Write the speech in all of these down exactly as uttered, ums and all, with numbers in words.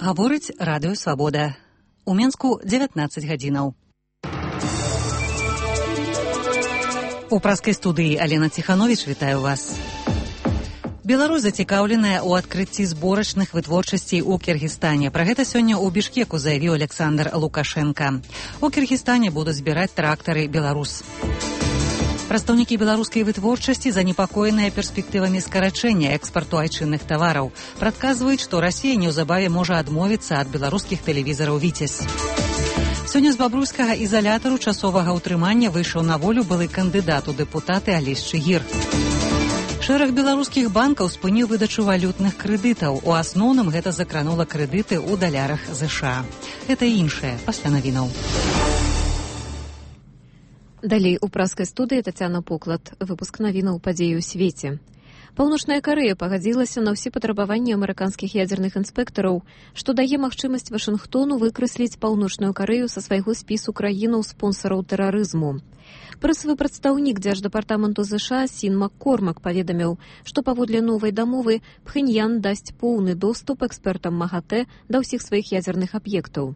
Гаворыць радыё Свабода. У Менску дзевятнаццаць гадзінаў. У праскай студыі Алена Ціхановіч вітаю вас. Беларусь зацікаўленая ў адкрыцці зборачных вытворчасцей у Кіргізстане. Пра гэта сёння ў Бішкеку заявіў Александр Лукашенка. У Кіргізстане будуць збіраць трактары «Беларус». Прадстаўнікі беларускай вытворчасці занепакоеныя перспектывамі скарачэння экспарту айчынных тавараў. Прадказваюць, што Расія неўзабаве можа адмовіцца ад беларускіх тэлевізараў «Віцязь». Сёння з бабруйскага ізалятару часовага ўтрымання выйшаў на волю былы кандыдат у дэпутаты Алесь Чыгір. Шэраг беларускіх банкаў спыніў выдачу валютных крэдытаў. У асноўным гэта закранула крэдыты ў далярах ЗША. Гэта і іншае пасля навінаў. Далей у праскай студыі Тацяна Поклад. Выпуск навінаў падзеі ў свеце. Паўночная Карэя пагадзілася на ўсе патрабаванні амерыканскіх ядзерных інспектараў, што дае магчымасць Вашынгтону выкрэсліць Паўночную Карэю са свайго спісу краінаў-спонсараў тэрарызму. Прэсавы прадстаўнік дзярждэпартаменту ЗША Сін Маккормак паведаміў, што паводле новай дамовы Пхэньян дасць поўны доступ экспертам МАГАТЭ да ўсіх сваіх ядзерных аб'ектаў.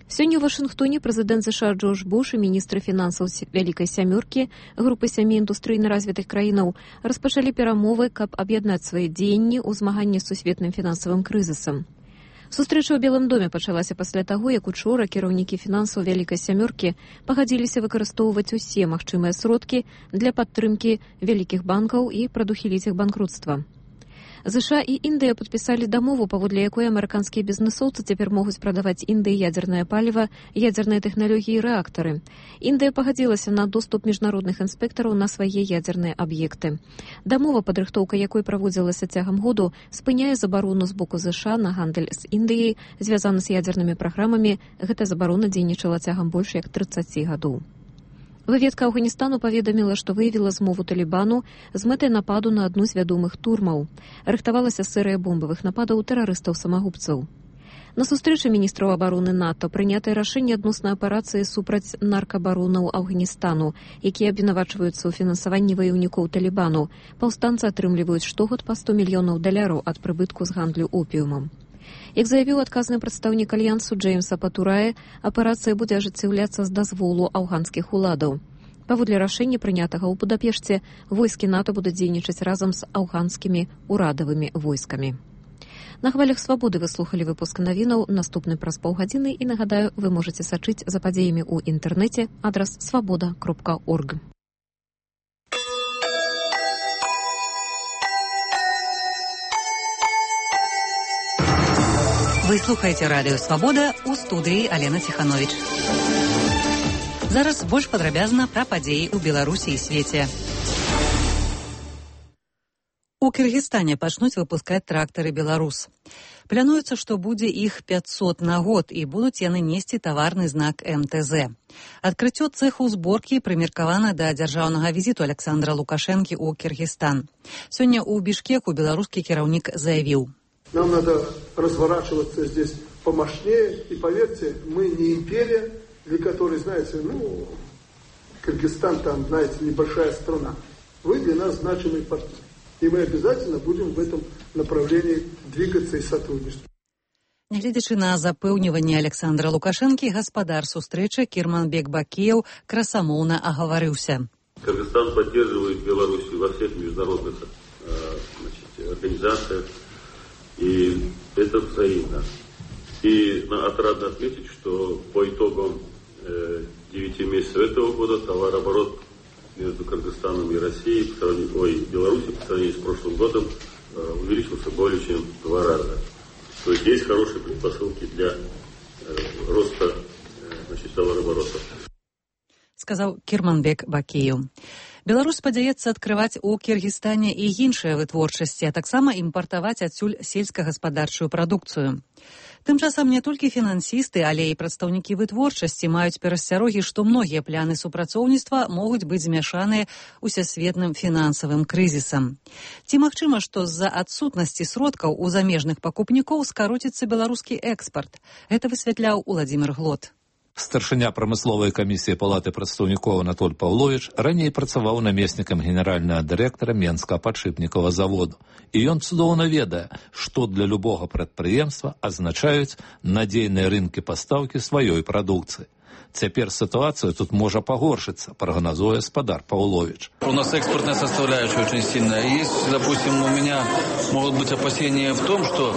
Сёння ў Вашынгтоне прэзідэнт ЗША Джордж Буш і міністры фінансаў Вялікай сямёркі, групы сямі індустрыйна развітых краінаў, распачалі перамовы, каб аб'яднаць свае дзеянні ў змаганні з сусветным фінансавым крызісам. Сустрэча ў Белым доме пачалася пасля таго, як учора кіраўнікі фінансаў Вялікай сямёркі пагадзіліся выкарыстоўваць усе магчымыя сродкі для падтрымкі вялікіх банкаў і прадухіліць іх банкрутства. ЗША і Індыя падпісалі дамову, паводле якой амерыканскія бізнэсоўцы цяпер могуць прадаваць Індыі ядзернае паліва, ядзерныя тэхналогіі і рэактары. Індыя пагадзілася на доступ міжнародных інспектараў на свае ядзерныя аб'екты. Дамова, падрыхтоўка якой праводзілася цягам году, спыняе забарону з боку ЗША на гандаль з Індыяй, звязаны з ядзернымі праграмамі. Гэта забарона дзейнічала цягам больш як трыццаці гадоў. Выведка Афганістану паведаміла, што выявіла змову Талібану з мэтай нападу на адну з вядомых турмаў. Рыхтавалася серыя бомбавых нападаў тэрарыстаў-самагубцаў. На сустрэчы міністраў абароны НАТО прынятае рашэнне адносна аперацыі супраць наркабаронаў Афганістану, якія абвінавачваюцца ў фінансаванні ваяўнікоў Талібану. Паўстанцы атрымліваюць штогод па сто мільёнаў даляраў ад прыбытку з гандлю опіумам. Як заявіў адказны прадстаўнік альянсу Джеймса Патурае, аперацыя будзе ажыццяўляцца з дазволу афганскіх уладаў. Паводле рашэння, прынятага ў Будапешце, войскі НАТО будуць дзейнічаць разам з афганскімі урадавымі войскамі. На хвалях Свабоды вы слухалі выпуск навінаў, наступны праз паўгадзіны, і, нагадаю, вы можаце сачыць за падзеямі ў інтэрнэце, адрас свабода кропка орг. Вы слухаеце радыё Свабода, у студыі Алена Ціхановіч. Зараз больш падрабязна пра падзеі ў Беларусі і свеце. У Кіргізстане пачнуць выпускаць трактары «Беларус». Плануецца, што будзе іх пяцьсот на год, і будуць яны несці таварны знак эм тэ зэ. Адкрыццё цэху зборкі прымеркавана да дзяржаўнага візіту Александра Лукашэнкі ў Кіргізстан. Сёння ў Бішкеку беларускі кіраўнік заявіў: нам надо разворачиваться здесь помощнее, и поверьте, мы не империя, для которой, знаете, ну, Кыргызстан там, знаете, небольшая страна. Вы для нас значимый партнер. И мы обязательно будем в этом направлении двигаться и сотрудничать. Нягледзячы на запэўніванне Александра Лукашэнкі, гаспадар сустрэчы Кірманбек Бакеев красамоўна агаварыўся. Кыргызстан поддерживает Беларусь во всех международных э, значит, организациях. И это взаимно. И отрадно отметить, что по итогам девяти месяцев этого года товарооборот между Кыргызстаном и Россией, по сравнению, ой, Беларусью по сравнению с прошлым годом э, увеличился более чем в два раза. То есть есть хорошие предпосылки для э, роста э, значит, товарооборота. Сказаў Кірманбек Бакеев. Беларусь спадзяецца адкрываць у Кіргізстане і іншыя вытворчасці, а таксама імпартаваць адсюль сельскагаспадарчую прадукцыю. Тым часам не толькі фінансісты, але і прадстаўнікі вытворчасці маюць перасцярогі, што многія пляны супрацоўніцтва могуць быць змяшаныя усесветным фінансавым крызісам. Ці магчыма, што з-за адсутнасці сродкаў у замежных пакупнікоў скароціцца беларускі экспарт? Гэта высвятляў Уладзімір Глот. Старшыня прамысловай камісіі Палаты прадстаўнікоў Анатоль Паўловіч раней працаваў намеснікам генеральнага дырэктара Менскага падшипнікавага заводу. І ён цудоўна ведае, што для любога прадпрыемства азначаюць надзейныя рынкі пастаўкі сваёй прадукцыі. Цяпер ситуация тут может погоршиться, прогнозуя Спадар Павлович. У нас экспортная составляющая очень сильная. Есть, допустим, у меня могут быть опасения в том, что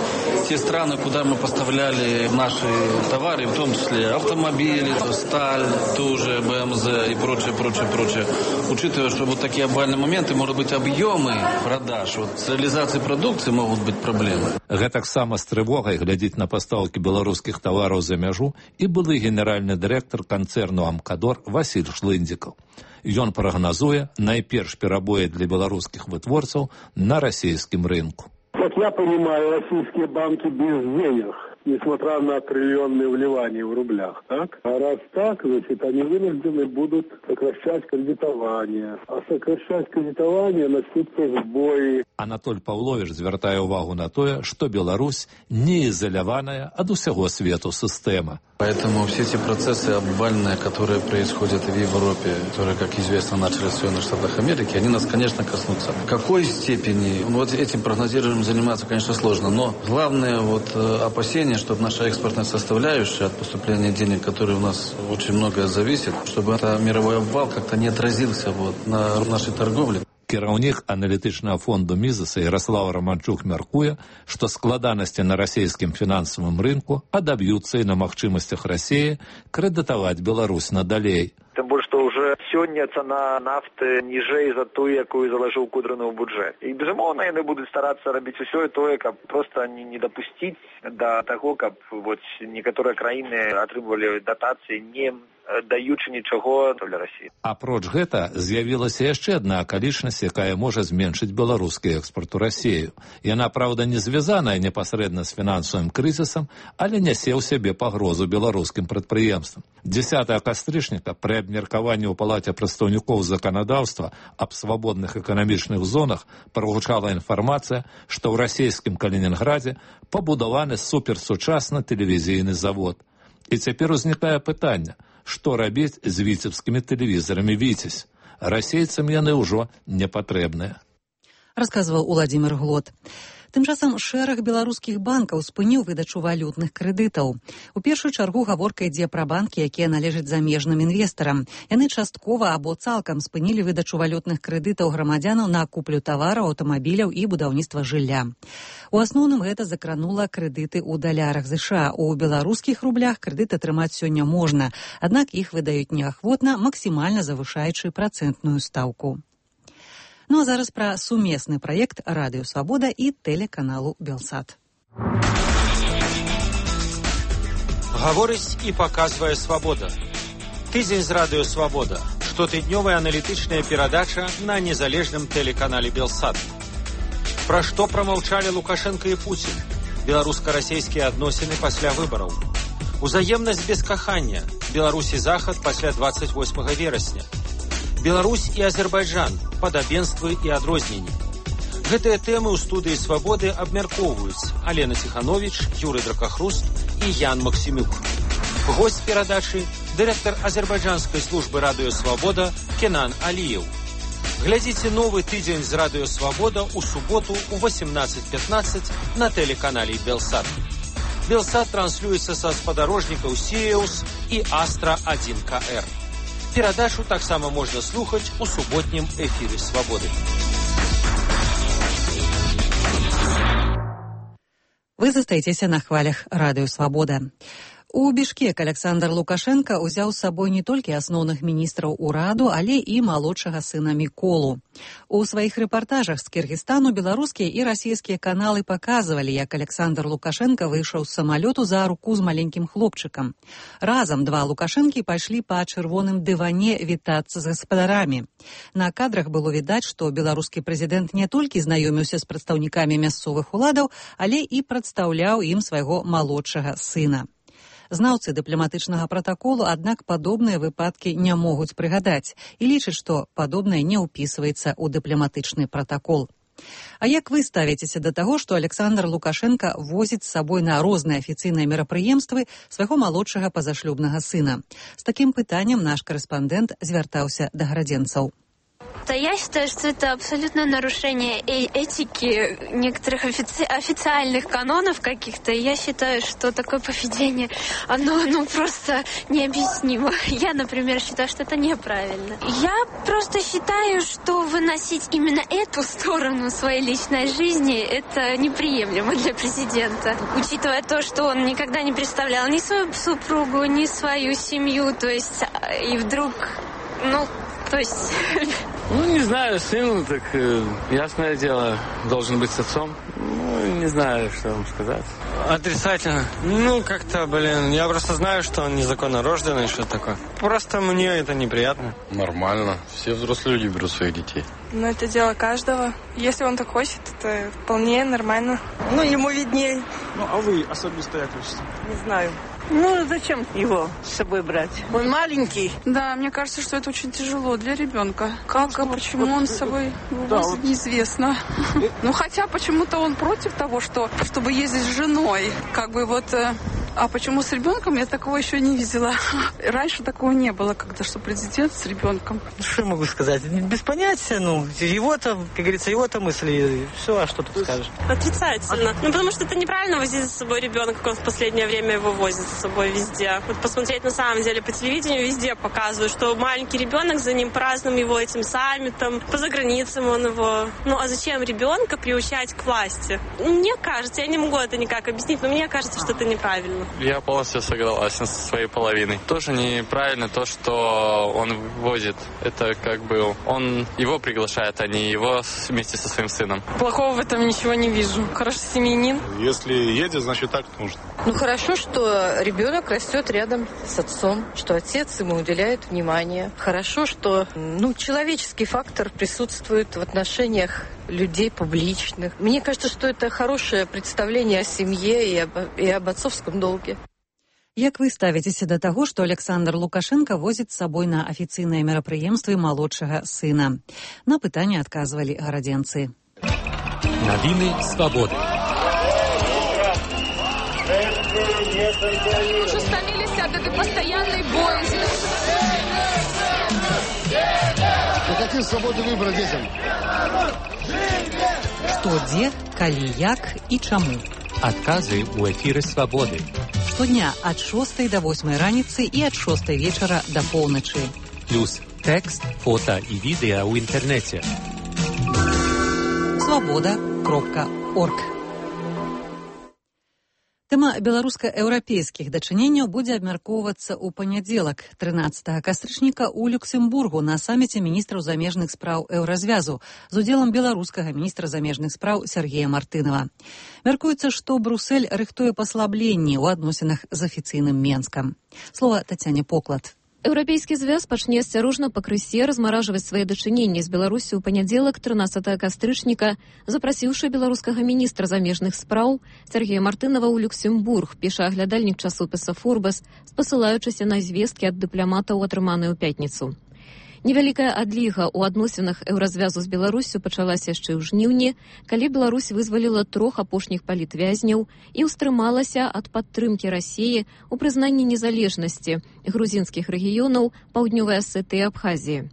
те страны, куда мы поставляли наши товары, в том числе автомобили, сталь, тоже БМЗ и прочее, прочее, прочее, учитывая, что вот такие обвальные моменты, может быть, объемы продаж, вот с реализацией продукции могут быть проблемы. Гэтак сама з трывогай глядзіць на пастаўкі беларускіх тавараў за мяжу і былы генеральны дырэктар канцэрну «Амкадор» Васіль Шлындзікаў. Ён прагназуе найперш перабоі для беларускіх вытворцаў на расійскім рынку. Как я понимаю, российские банки без денег, несмотря на триллионные вливания в рублях, так? А раз так, значит, они вынуждены будут сокращать кредитование. А сокращать кредитование начнутся сбои. Анатоль Паўловіч звяртае ўвагу на тое, што Беларусь не изоляваная ад усяго свету сістэма. Поэтому все эти процессы обвальные, которые происходят в Европе, которые, как известно, начались в Соединенных Штатах Америки, они нас, конечно, коснутся. В какой степени? Ну, вот этим прогнозированием заниматься, конечно, сложно. Но главное вот опасение, чтобы наша экспортная составляющая от поступления денег, которые у нас очень многое зависит, чтобы этот мировой обвал как-то не отразился вот на нашей торговле. Кіраўнік аналітычнага фонду Мізаса Ярослав Романчук мяркуе, што складанасці на расійскім фінансавым рынку адаб'юцца і на магчымасцях Расіі крэдытаваць Беларусь надалей. Тым больш, што ўжо сёння цана нафты ніжэй за тую, якую залажыў Кудрыны ў бюджэт. І, безумоўна, яны будуць старацца рабіць усё і тое, каб проста не, не дапусціць да таго, каб вот, некаторыя краіны атрымлівалі датацыі, не даючы нічого для Расіі. Апроч гэта з'явілася яшчэ адна акалічнасць, якая можа зменшыць беларускі экспорт у Расію. Яна, праўда, не звязаная непасрэдна з фінансавым крызісам, але нясе ў сябе пагрозу беларускім прадпрыемствам. дзесятага кастрычніка пры абмеркаванні ў Палаце прадстаўнікоў заканадаўства аб свабодных эканамічных зонах прагучала інфармацыя, што ў расійскім Калінінградзе пабудаваны суперсучасны тэлевізійны завод. І цяпер узнікае пытанне, што рабіць з віцебскімі тэлевізорамі «Віцязь». Расейцам яны ўжо не патрэбныя. Расказваў Уладзімір Глот. Тым часам шэраг беларускіх банкаў спыніў выдачу валютных крэдытаў. У першую чаргу гаворка ідзе пра банкі, якія належаць замежным інвестарам. Яны часткова або цалкам спынілі выдачу валютных крэдытаў грамадзянаў на куплю тавараў, аўтамабіляў і будаўніцтва жылля. У асноўным гэта закранула крэдыты ў далярах ЗША. У беларускіх рублях крэдыт атрымаць сёння можна, аднак іх выдаюць неахвотна, максімальна завышаючы працэнтную стаўку. Ну а зараз пра сумесны праект Радыё Свабода і тэлеканалу Белсат. Гаворыць і паказвае Свабода. Тыдзень з Радыё Свабода. Штотыднёвая аналітычная перадача на незалежным тэлеканале Белсат. Пра што прамаўчалі Лукашенко і Пуцін? Беларуска-расійскія адносіны пасля выбараў. Узаемнасць без кахання. Беларусь і Захад пасля дваццаць восьмага верасня. Беларусь і Азербайджан, падабенствы і адрозненні. Гэтыя тэмы ў студыі Свабоды абмяркоўваюць Алена Ціхановіч, Юрый Дракахруст і Ян Максімюк. Госць перадачы – дырэктар азербайджанскай службы Радыё Свабода Кенан Аліеў. Глядзіце новы тыдзень з Радыё Свабода ў суботу ў восемнадцаць пятнаццаць на тэлеканале Белсат. Белсат транслюецца са спадарожнікаў Сіеус і Астра адзін ка эр. Перадачу таксама можна слухаць у суботнім эфіры Свабоды. Вы застаецеся на хвалях Радыё Свабода. У Бішкек Александр Лукашенко ўзяў з сабой не толькі асноўных міністраў ураду, але і малодшага сына Міколу. У сваіх рэпартажах з Кіргізстану беларускія і расійскія каналы паказвалі, як Александр Лукашенко выйшаў з самалёту за руку з маленькім хлопчыкам. Разам два Лукашэнкі пайшлі па чырвоным дыване вітацца з гаспадарамі. На кадрах было відаць, што беларускі прэзідэнт не толькі знаёміўся з прадстаўнікамі мясцовых уладаў, але і прадстаўляў ім свайго малодшага сына. Знаўцы дыпламатычнага пратаколу, аднак падобныя выпадкі не могуць прыгадаць і лічаць, што падобнае не ўпісваецца ў дыпламатычны пратакол. А як вы ставіцеся да таго, што Александр Лукашенко возіць з сабой на розныя афіцыйныя мерапрыемствы свайго малодшага пазашлюбнага сына? З такім пытаннем наш карэспандэнт звяртаўся да гарадзенцаў. Да, я считаю, что это абсолютное нарушение э- этики некоторых офици- официальных канонов каких-то. И я считаю, что такое поведение, оно ну, просто необъяснимо. Я, например, считаю, что это неправильно. Я просто считаю, что выносить именно эту сторону своей личной жизни, это неприемлемо для президента. Учитывая то, что он никогда не представлял ни свою супругу, ни свою семью, то есть, и вдруг, ну, то есть... Ну, не знаю, сын, так, э, ясное дело, должен быть с отцом. Ну, не знаю, что вам сказать. Отрицательно. Ну, как-то, блин, я просто знаю, что он незаконно рожденный, что такое. Просто мне это неприятно. Нормально. Все взрослые люди берут своих детей. Ну, это дело каждого. Если он так хочет, это вполне нормально. Ну, ему виднее. Ну, а вы особисто як хочете? Не знаю. Ну, зачем его с собой брать? Он маленький. Да, мне кажется, что это очень тяжело для ребенка. Как, а почему он с собой да, вот. неизвестно. Ну, хотя почему-то он против того, что, чтобы ездить с женой. Как бы вот... А почему с ребенком? Я такого еще не видела. Раньше такого не было, когда что президент с ребенком. Что я могу сказать? Без понятия, ну, его-то, как говорится, его-то мысли. Все, а что тут скажешь? Отрицательно. Ну, потому что это неправильно возить за собой ребенка, как он в последнее время его возит с собой везде. Вот посмотреть на самом деле по телевидению везде показывают, что маленький ребенок, за ним празднуем его этим саммитом, по заграницам он его. Ну, а зачем ребенка приучать к власти? Мне кажется, я не могу это никак объяснить, но мне кажется, что это неправильно. Я полностью согласен со своей половиной. Тоже неправильно то, что он возит. Это как бы он его приглашает, а не его вместе со своим сыном. Плохого в этом ничего не вижу. Хороший семьянин. Если едет, значит так нужно. Ну хорошо, что ребенок растет рядом с отцом, что отец ему уделяет внимание. Хорошо, что ну, человеческий фактор присутствует в отношениях людей публичных. Мне кажется, что это хорошее представление о семье и об, и об отцовском долге. Як вы ставіцеся да таго, што Александр Лукашенко возіць з сабой на афіцыйныя мерапрыемствы малодшага сына? На пытанне адказвалі гарадзенцы. Навіны свабоды. Уже стомились от этой постоянной боязни. Ну какие свободы выбора детям? Што, дзе, калі, як і чаму? Адказы ў эфіры свабоды. Штодня ад шостай да восьмай раніцы і ад шостай вечара да поўначы. Плюс тэкст, фота і відэа ў інтэрнэце. свабода кропка орг. Тэма беларуска-еўрапейскіх дачыненняў будзе абмяркоўвацца ў панядзелак, трынаццатага кастрычніка ў Люксембургу на саміце міністраў замежных спраў еўразвязу з удзелам беларускага міністра замежных спраў Сергея Мартынова. Мяркуецца, што Брусэль рыхтуе паслабленні ў адносінах з афіцыйным Менскам. Слова Тацяне Поклад. Еўрапейскі звяз пачне асцярожна пакрысе размаражваць свае дачыненні з Беларусі ў панядзелак трынаццатага кастрычніка, запрасіўшы беларускага міністра замежных спраў Сергея Мартынова ў Люксембург, піша аглядальнік часопіса «Форбес», спасылаючыся на звесткі ад дыпламатаў, атрыманыя ў пятніцу. Невялікая адліга ў адносінах еўразвязу з Беларусю пачалася яшчэ ў жніўні, калі Беларусь вызваліла трох апошніх палітвязняў і ўстрымалася ад падтрымкі Расіі ў прызнанні незалежнасці грузінскіх рэгіёнаў Паўднёвай Асетыі і Абхазіі.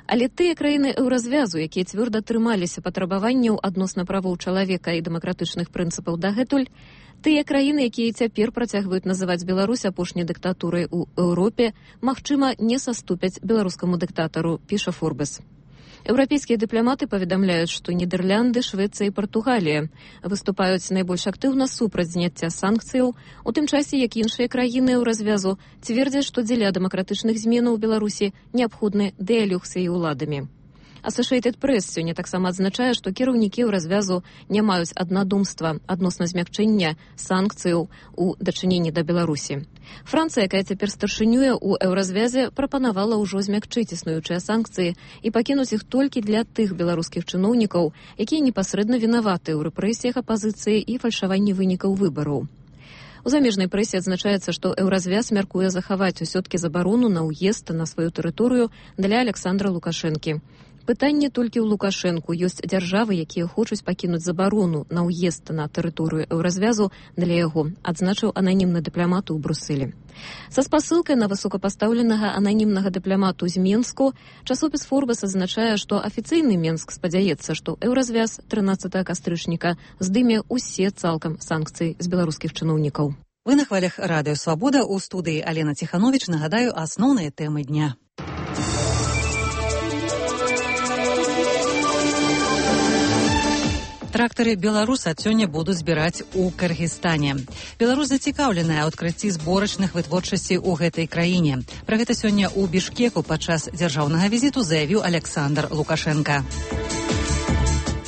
Але тыя краіны еўразвязу, якія цвёрда трымаліся патрабаванняў адносна правоў чалавека і дэмакратычных прынцыпаў дагэтуль, тыя краіны, якія цяпер працягваюць называць Беларусь апошняй дыктатурай у Еўропе, магчыма, не саступяць беларускаму дыктатару, піша «Форбес». Еўрапейскія дыпламаты паведамляюць, што Нідерлянды, Швецыя і Партугалія выступаюць найбольш актыўна супраць зняцця санкцыяў, у тым часе, як іншыя краіны еўразвязу цвердзяць, што дзеля дэмакратычных зменаў у Беларусі неабходны дыялог з яе ўладамі. Associated Press сёння таксама адзначае, што кіраўнікі еўразвязу не маюць аднадумства адносна змякчэння санкцыяў у дачыненні да Беларусі. Францыя, якая цяпер старшынюе ў еўразвязе, прапанавала ўжо змякчыць існуючыя санкцыі і пакінуць іх толькі для тых беларускіх чыноўнікаў, якія непасрэдна вінаваты ў рэпрэсіях апазіцыі і фальшаванні вынікаў выбараў. У замежнай прэсе адзначаецца, што еўразвяз мяркуе захаваць усё-ткі забарону на ўезд на сваю тэрыторыю для Александра Лукашэнкі. Пытанне толькі ў Лукашэнку. Ёсць дзяржавы, якія хочуць пакінуць забарону на ўезд на тэрыторыю еўразвязу для яго, адзначыў ананімны дыпламат у Брусэлі. Са спасылкай на высокапастаўленага ананімнага дыпламату з Менску часопіс Форбас азначае, што афіцыйны Менск спадзяецца, што еўразвяз трынаццатага кастрычніка здыме ўсе цалкам санкцыі з беларускіх чыноўнікаў. Вы на хвалях радыё «Свабода», у студыі Алена Ціхановіч. Нагадаю асноўныя тэмы дня. Трактары беларусы ад сёння будуць збіраць у Кыргызстане. Беларусь зацікаўленая ў адкрыцці зборачных вытворчасцей у гэтай краіне. Пра гэта сёння ў Бішкеку падчас дзяржаўнага візіту заявіў Александр Лукашенко.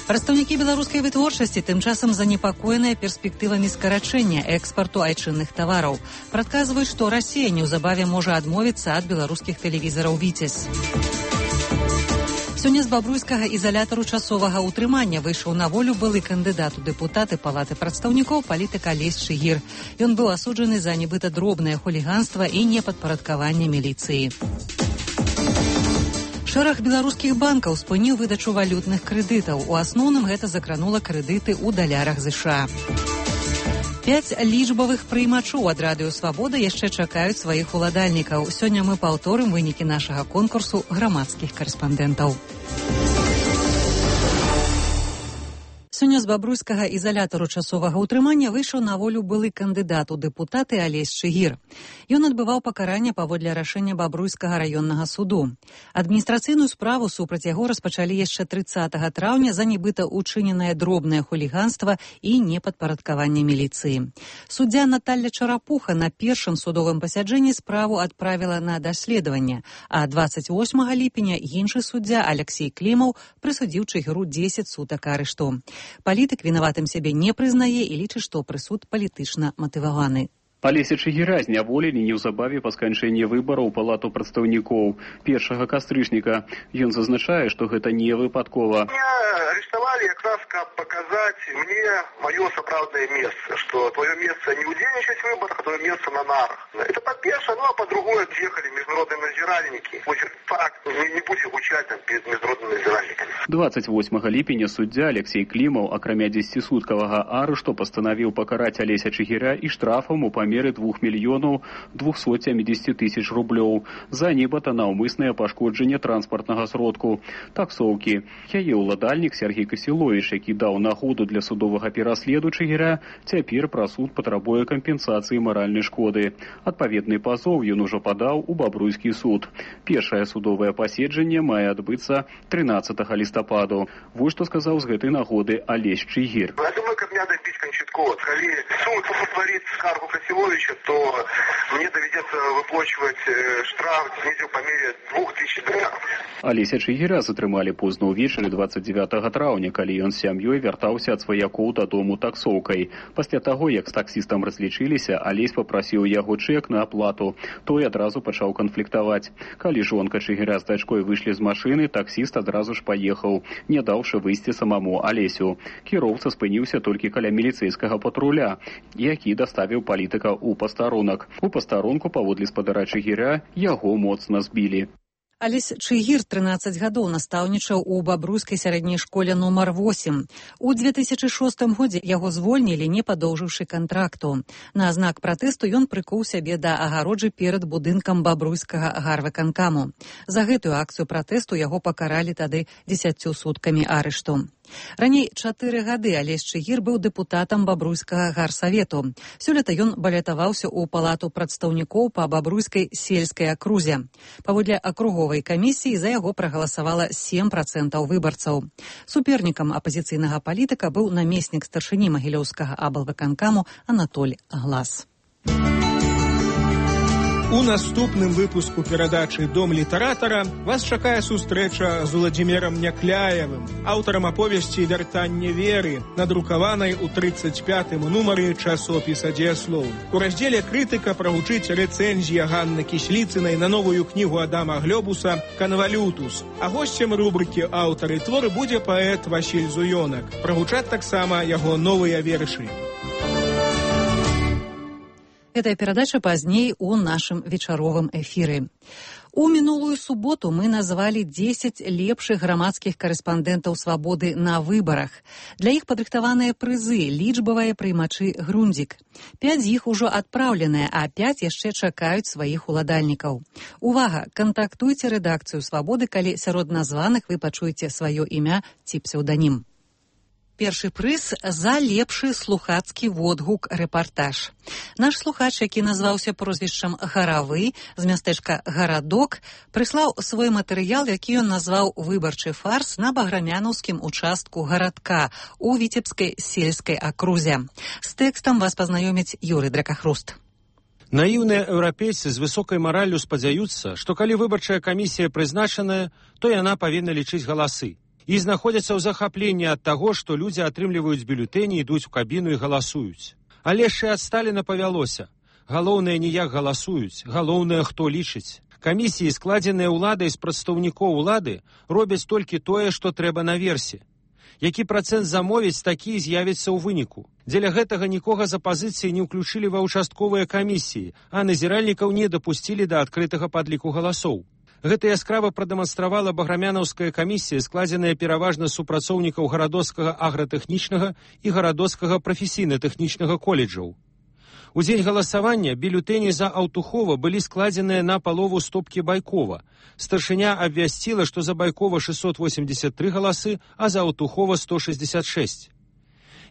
Прадстаўнікі беларускай вытворчасці тым часам занепакоеныя перспектывамі скарачэння экспарту айчынных тавараў. Прадказваюць, што Расія неўзабаве можа адмовіцца ад беларускіх тэлевізараў «Віцязь». Сёння з бабруйскага ізалятару часовага ўтрымання выйшаў на волю былы кандыдат у дэпутаты Палаты прадстаўнікоў палітык Алесь Чыгір. Ён быў асуджаны за нібыта дробнае хуліганства і непадпарадкаванне міліцыі. Шэраг беларускіх банкаў спыніў выдачу валютных крэдытаў. У асноўным гэта закранула крэдыты ў далярах ЗША. Пяць лічбавых прыймачоў ад радыё «Свабода» яшчэ чакаюць сваіх уладальнікаў. Сёння мы паўторым вынікі нашага конкурсу грамадскіх карэспандэнтаў. Сёння з бабруйскага ізалятару часовага ўтрымання выйшаў на волю былы кандыдат у дэпутаты Алесь Чыгір. Ён адбываў пакаранне паводле рашэння бабруйскага раённага суду. Адміністрацыйную справу супраць яго распачалі яшчэ трыццатага траўня за нібыта учыненае дробнае хуліганства і непадпарадкаванне міліцыі. Суддзя Наталля Чарапуха на першым судовым пасяджэнні справу адправіла на даследаванне, а дваццаць восьмага ліпеня іншы суддзя Алексей Клімаў прысудзіў Чыгіру дзесяць сутак арышту. Палітык вінаватым сябе не прызнае і лічыць, што прысуд палітычна матываваны. Алеся Чыгіра зняволілі неўзабаве па сканчэнні выбараў у Палату прадстаўнікоў першага кастрычніка. Ён зазначае, што гэта не выпадкова. Меня арестовали как раз, как показать мне мое сапраўдное место, что твое место не удзельнічаць в выборах, а твое место на нарах. Это по-першае, ну а по-другое, приехали международные надзиральники. Факт не, не будем гучать там перед международными надзиральниками. дваццаць восьмага ліпеня суддзя Алексей Клімаў, акрамя дзесяцісуткавага арышту, пастанавіў пакараць Алеся Чыгіра і штрафам у памеры двух мільёнаў двухсот сямідзесяці тысяч рублёў за нібыта наўмыснае пашкоджанне транспартнага сродку таксоўкі. Яе ўладальнік Сергей Касіловіч, які даў нагоду для судовага пераследу Чыгіра, цяпер пра суд патрабуе кампенсацыі маральнай шкоды. Адпаведны пазоў ён ужо падаў у бабруйскі суд. Першае судовае паседжанне мае адбыцца трынаццатага лістападу. Вось што сказаў з гэтай нагоды Алесь Чыгір. Я думаю, каб мне дабіць канчаткова. Калі суд удовлетворит скаргу Касіловича, то мне доведется выплачивать штраф снизу по мере двух тысяч долларов. Алеся Чыгіра затрымалі позна ўвечары дваццаць дзевятага траўня, калі ён з сям'ёй вяртаўся ад сваякоў дадому таксоўкай. Пасля таго, як з таксістам разлічыліся, Алесь папрасіў яго чэк на аплату. Той адразу пачаў канфліктаваць. Калі жонка Чыгіра з дачкой выйшлі з машыны, таксіст адразу ж паехаў, не даўшы выйсці самому Алесю. Кіроўца спыніўся толькі каля міліцэйскага патруля, які даставіў палітыка ў пастарунак. У пастарунку паводле спадара Чыгіра яго моцна збілі. Алесь Чыгір трынаццаць гадоў настаўнічаў у бабруйскай сярэдняй школе нумар восем. У две тысячы шостым годзе яго звольнілі, не падоўжыўшы кантракту. На знак пратэсту ён прыкуў сябе да агароджы перад будынкам бабруйскага гарвыканкаму. За гэтую акцыю пратэсту яго пакаралі тады дзесяццю суткамі арышту. Раней чатыры гады Алесь Чыгір быў дэпутатам бабруйскага гарсавету. Сёлета ён балятаваўся ў Палату прадстаўнікоў па бабруйскай сельскай акрузе. Паводле акруговай камісіі за яго прагаласавала сем працэнтаў выбарцаў. Супернікам апазіцыйнага палітыка быў намеснік старшыні магілёўскага аблвыканкаму Анатоль Глас. У наступным выпуску перадачы «Дом літаратара» вас чакае сустрэча з Уладзімірам Някляевым, аўтарам аповесці «Вяртанне веры», надрукаванай у трыццаць пятым нумары часопіса «Дзеяслоў». У раздзеле «Крытыка» прагучыць рэцэнзія Ганны Кісліцынай на новую кнігу Адама Глёбуса «Канвалютус». А госцем рубрыкі «Аўтары творы» будзе паэт Васіль Зуёнак. Прагучаць таксама яго новыя вершы. Гэтая перадача пазней у нашым вечаровым эфіры. У мінулую суботу мы назвалі дзесяць лепшых грамадскіх карэспандэнтаў свабоды на выбарах. Для іх падрыхтаваныя прызы, лічбавыя прыймачы Грундзік. Пяць з іх ужо адпраўленыя, а пяць яшчэ чакаюць сваіх уладальнікаў. Увага! Кантактуйце рэдакцыю свабоды, калі сярод названых вы пачуеце сваё імя ці псеўданім. Першы прыз за лепшы слухацкі водгук рэпартаж. Наш слухач, які назваўся прозвішчам Гаравы з мястэчка Гарадок, прыслаў свой матэрыял, які ён назваў «Выбарчы фарс» на баграмянаўскім участку гарадка у Віцебскай сельскай акрузе. З тэкстам вас пазнаёміць Юрый Дракахруст. Наіўныя еўрапейцы з высокай мараллю спадзяюцца, што калі выбарчая камісія прызначаная, то яна павінна лічыць галасы. І знаходзяцца ў захапленні ад таго, што людзі атрымліваюць бюлетэні, ідуць у кабіну і галасуюць. Але ж і ад Сталіна павялося. Галоўнае не як галасуюць, галоўнае хто лічыць. Камісіі, складзеныя ўладай з прадстаўнікоў улады, робяць толькі тое, што трэба наверсе. Які працэнт замовіць, такі з'явіцца ў выніку. Дзеля гэтага нікога з апазіцыі не ўключылі ва ўчастковыя камісіі, а назіральнікаў не дапусцілі да адкрытага падліку галасоў. Гэта яскрава прадэманстравала баграмянаўская камісія, складзеная пераважна з супрацоўнікаў гарадоцкага агратэхнічнага і гарадоцкага прафесійна-тэхнічнага коледжаў. У дзень галасавання бюлетэні за Аўтухова былі складзеныя на палову стопкі Байкова. Старшыня абвясціла, што за Байкова шэсцьсот восемьдесят тры галасы, а за Аўтухова сто шэсцьдесят шэсць.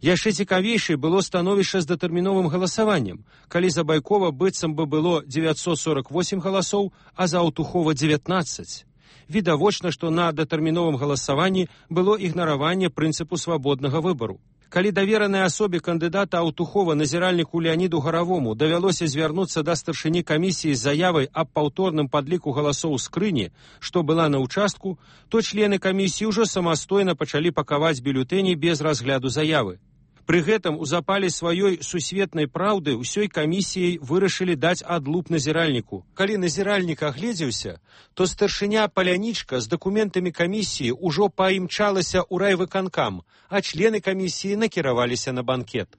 Яшчэ цікавейшай было становішча з датэрміновым галасаваннем, калі за Байкова быццам бы было дзевяцьсот сорок восемь галасоў, а за Аўтухова дзевятнаццаць. Відавочна, што на датэрміновым галасаванні было ігнараванне прынцыпу свабоднага выбару. Калі даверанай асобе кандыдата Аўтухова назіральніку Леаніду Гаравому давялося звярнуцца да старшыні камісіі з заявай аб паўторным падліку галасоў скрыні, што была на ўчастку, то члены камісіі ўжо самастойна пачалі пакаваць бюлетэні без разгляду заявы. Пры гэтым у запале сваёй сусветнай праўды ўсёй камісіяй вырашылі даць адлуп назіральніку. Калі назіральнік агледзеўся, то старшыня Палянічка з дакументамі камісіі ўжо паімчалася ў райвыканкам, а члены камісіі накіраваліся на банкет.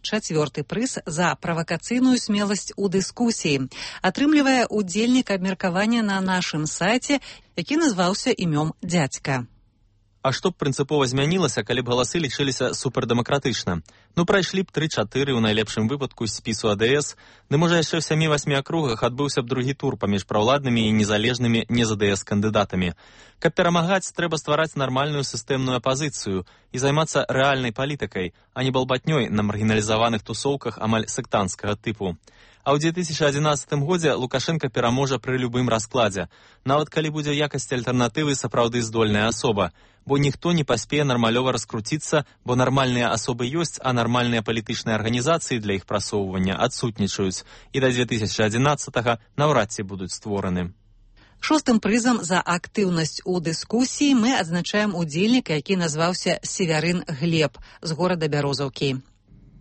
Чацвёрты прыз за правакацыйную смеласць у дыскусіі атрымлівае удзельнік абмеркавання на нашым сайце, які назваўся імём дзядзька. А што б прынцыпова змянілася, калі б галасы лічыліся супердэмакратычна? Ну, прайшлі б тры-чатыры ў найлепшым выпадку з спісу АДС, ды можа яшчэ ў сямі-васьмі акругах адбыўся б другі тур паміж праўладнымі і незалежнымі не-ЗДС кандыдатамі. Каб перамагаць, трэба ствараць нармальную сістэмную апазіцыю і займацца рэальнай палітыкай, а не балбатнёй на маргіналізаваных тусоўках амаль сектанцкага тыпу. А ў дзве тысячы адзінаццатым годзе Лукашенка пераможа пры любым раскладзе, нават калі будзе якасці альтэрнатывы сапраўды здольная асоба, бо ніхто не паспее нармалёва раскруціцца, бо нармальныя асобы ёсць, а нармальныя палітычныя арганізацыі для іх прасоўвання адсутнічаюць, і да дзве тысячы адзінаццатага наўрад ці будуць створаны. Шостым прызам за актыўнасць у дыскусіі мы адзначаем удзельніка, які назваўся Севярын Глеб з горада Бярозаўкі.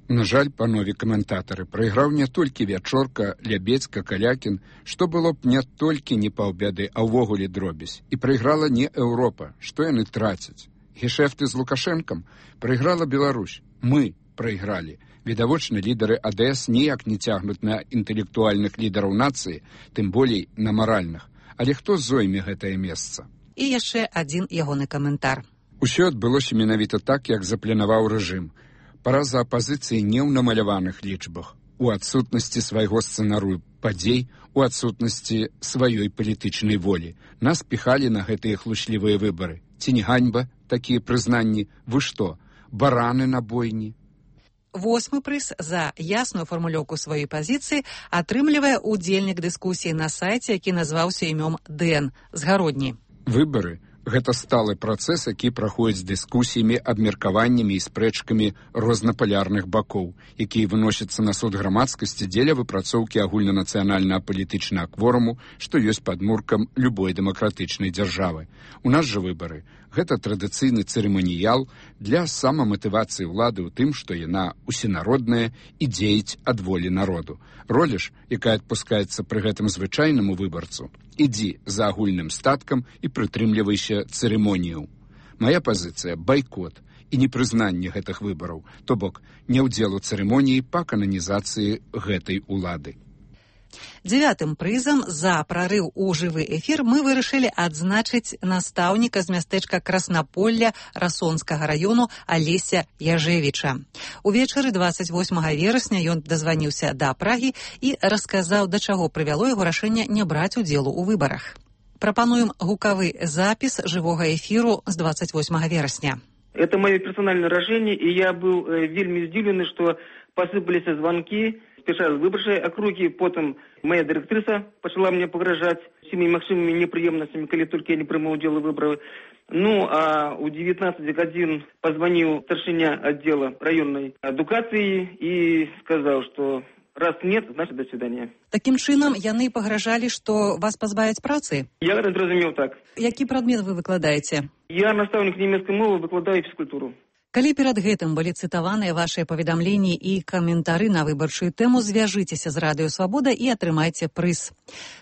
На жаль, панове каментатары, прайграў не толькі Вячорка, Лябецька, Калякін, што было б не толькі не паўбяды, а ўвогуле дробязь. І прайграла не Еўропа, што яны трацяць. Гешэфты з Лукашэнкам прайграла Беларусь. Мы прайгралі. Відавочна, лідары АДС ніяк не цягнуць на інтэлектуальных лідараў нацыі, тым болей на маральных. Але хто зойме гэтае месца? І яшчэ адзін ягоны каментар. Усё адбылося менавіта так, як запланаваў рэжым. Параза апазіцыі не ў намаляваных лічбах, у адсутнасці свайго сцэнарыю падзей, у адсутнасці сваёй палітычнай волі. Нас піхалі на гэтыя хлучлівыя выбары. Ці не ганьба такія прызнанні? Вы што, бараны на бойні? Восьмы прыз за ясную фармулёўку сваёй пазіцыі атрымлівае удзельнік дыскусіі на сайце, які назваўся імём Дэн з Гародні. Выбары гэта сталы працэс, які праходзіць дыскусіямі, абмеркаваннямі і спрэчкамі рознапалярных бакоў, якія выносяцца на суд грамадскасці дзеля выпрацоўкі агульнанацыянальнага палітычнага кворуму, што ёсць падмуркам любой дэмакратычнай дзяржавы. У нас жа выбары гэта традыцыйны цырыманіял для самаматывацыі ўлады ў тым, што яна усенародная і дзеяць ад волі народу. Роля ж, якая адпускаецца пры гэтым звычайнаму выбарцу, ідзі за агульным статкам і прытрымлівайся цырымонію. Мая пазіцыя – байкот. і непрызнанне гэтых выбараў, то бок не ўдзел у цырымоніі па кананізацыі гэтай улады. Дзявятым прызам за прарыў у жывы эфір мы вырашылі адзначыць настаўніка з мястэчка Краснаполля Расонскага раёну Алеся Яжевіча. Увечары дваццаць восьмага верасня ён дазваніўся да Прагі і расказаў, да чаго прывяло яго рашэнне не браць удзелу ў выбарах. Прапануем гукавы запіс жывога эфіру з двадцать восьмага верасня. Это мое персональное решение, и я был э, вельми здивленный, что посыпались звонки, спеша з выборчай округи, потом моя директриса начала мне погрожать всеми максимумами неприемностями, коли только я не приму удел выборов. Ну, а у девятнадцати годин позвонил старшиня отдела районной адукации и сказал, что раз нет, значит, до свидания. Таким чынам, яны пагражалі, што вас пазбавяць працы? Я зразумеў так. Які прадмет вы выкладаеце? Я настаўнік нямецкай мовы, выкладаю фізкультуру. Калі перад гэтым былі цытаваныя вашыя паведамленні і каментары на выбарчую тэму, звяжыцеся з Радыё Свабода і атрымайце прыз.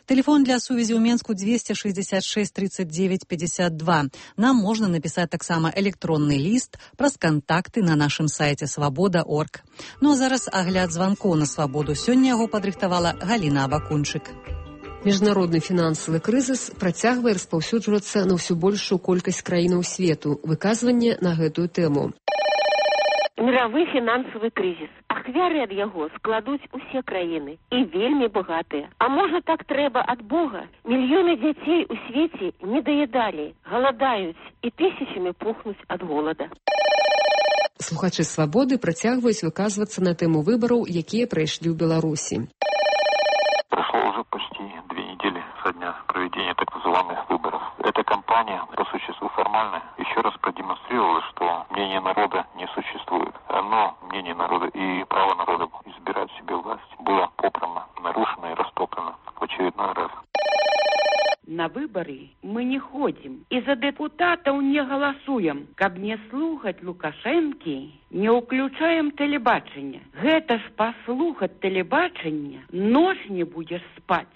Тэлефон для сувязі ў Менску двести шестьдесят шесть тридцать девять пятьдесят два. Нам можна напісаць таксама электронны ліст праз кантакты на нашым сайце свабода точка орг. Ну а зараз агляд званкоў на Свабоду. Сёння яго падрыхтавала Галіна Абакунчык. Міжнародны фінансавы крызіс працягвае распаўсюджвацца на ўсё большую колькасць краінаў свету. Выказванне на гэтую тэму. Мировы фінансавы крызіс. Ахвяры ад яго складуць усе краіны і вельмі багатыя. А можа так трэба ад Бога? Мільёны дзяцей у свеце не даядалі, галадаюць і тысячамі пухнуць ад голода. Слухачы Свабоды працягваюць выказвацца на тэму выбараў, якія прайшлі ў Беларусі. Прошло уже почти две недели со дня проведения так называемых выборов. Эта кампания, по существу формальная, еще раз продемонстрировала, что мнение народа не существует. Но мнение народа и право народа избирать себе власть было попрано, нарушено и растоптано в очередной раз. На выборы мы не ходим и за депутатов не голосуем. Каб не слухать Лукашенки, не уключаем телебачення. Гэта ж послухать телебачення, ночь не будешь спать.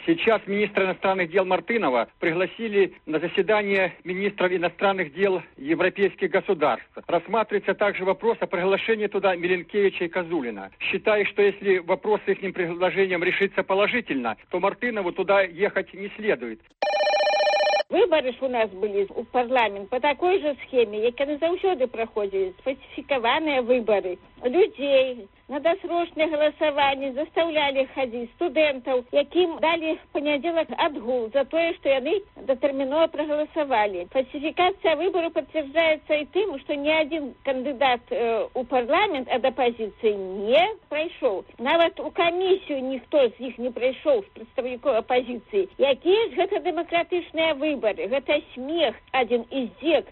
Сейчас министра иностранных дел Мартынова пригласили на заседание министров иностранных дел европейских государств. Рассматривается также вопрос о приглашении туда Миленкевича и Козулина. Считаю, что если вопрос с их предложением решится положительно, то Мартынову туда ехать не следует. Выборы ж у нас были в парламент по такой же схеме, як яны заўсёды праходзілі, сфальсифікаваныя выборы. Людей на досрочное голосование заставляли ходить студентов, яким дали в понедельник отгул за то, что они дотерминово проголосовали. Фальсификация выборов подтверждается и тем, что ни один кандидат э, у парламент от оппозиции не прошел. Нават у комиссию никто из них не прошел, с представников оппозиции. Якие же это демократичные выборы? Это смех, один издек.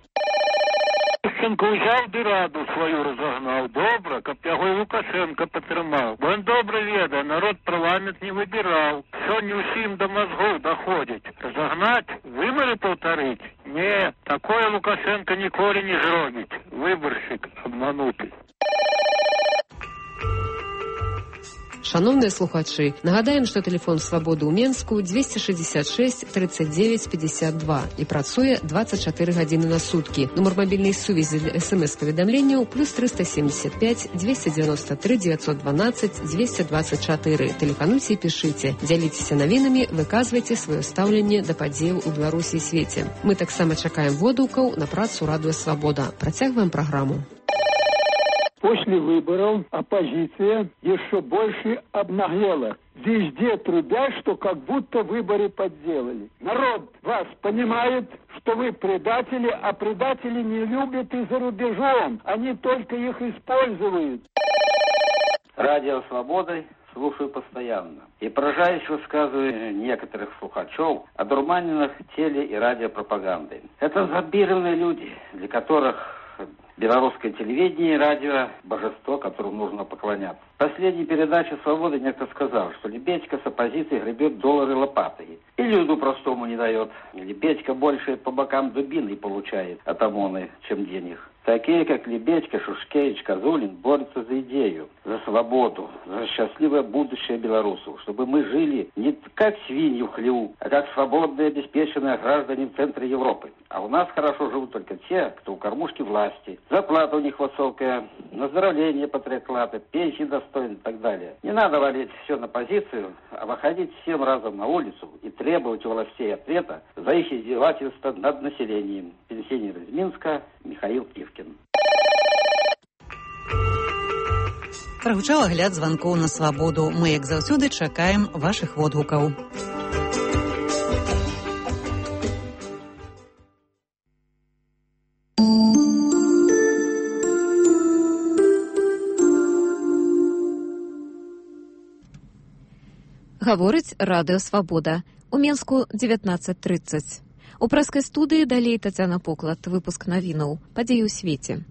Лукашенко взяв би раду свою розогнав. Добре, каб його і Лукашенко підтримав. Бо він добре ведає, народ парламент не вибирав. Сьогодні усім до мозгов доходить. Розогнать, вибори повторить? Ні, такое Лукашенко ніколи не зробить. Виборщик обманутий. Шановныя слухачы, нагадаем, што тэлефон Свабоды ў Менску двести шестьдесят шесть тридцать девять пятьдесят два і працуе двадцать четыре гадзіны на суткі. Нумар мабільнай сувязі для эс-эм-эс-паведамленняў плюс триста семьдесят пять двести девяносто три девятьсот двенадцать двести двадцать четыре. Тэлефануйце і пішыце, дзяліцеся навінамі, выказвайце сваё стаўленне да падзеяў у Беларусі і свеце. Мы таксама чакаем водгукаў на працу Радыё Свабода. Працягваем праграму. После выборов оппозиция еще больше обнаглела. Везде трубят, что как будто выборы подделали. Народ вас понимает, что вы предатели, а предатели не любят и за рубежом. Они только их используют. Радио «Свобода» слушаю постоянно. И поражаюсь высказывания некоторых слухачев о дурманенных теле- и радиопропагандой. Это зомбированные люди, для которых белорусское телевидение и радио – божество, которому нужно поклоняться. В последней передаче «Свободы» некто сказал, что Лебедько с оппозицией гребет доллары лопатой. И люду простому не дает. Лебедько больше по бокам дубиной получает от ОМОНа, чем денег. Такие, как Лебедько, Шушкевич, Козулин, борются за идею, за свободу, за счастливое будущее белорусов, чтобы мы жили не как свиньи в хлеву, а как свободные, обеспеченные граждане в центре Европы. А у нас хорошо живут только те, кто у кормушки власти. Зарплата у них высокая, оздоровление патриоклада, пенсии достойны и так далее. Не надо валить все на позицию, а выходить всем разом на улицу и требовать у властей ответа за их издевательство над населением. Пенсионер из Минска Михаил Ивкин. Прагучаў агляд званкоў на свабоду. Мы, як заўсёды, чакаем вашых водгукаў. Гаворыць радыё «Свабода». У Менску дзевятнаццаць трыццаць. У прэскай студыі далей Тацяна Поклад. Выпуск навінаў. Падзеі ў свеце.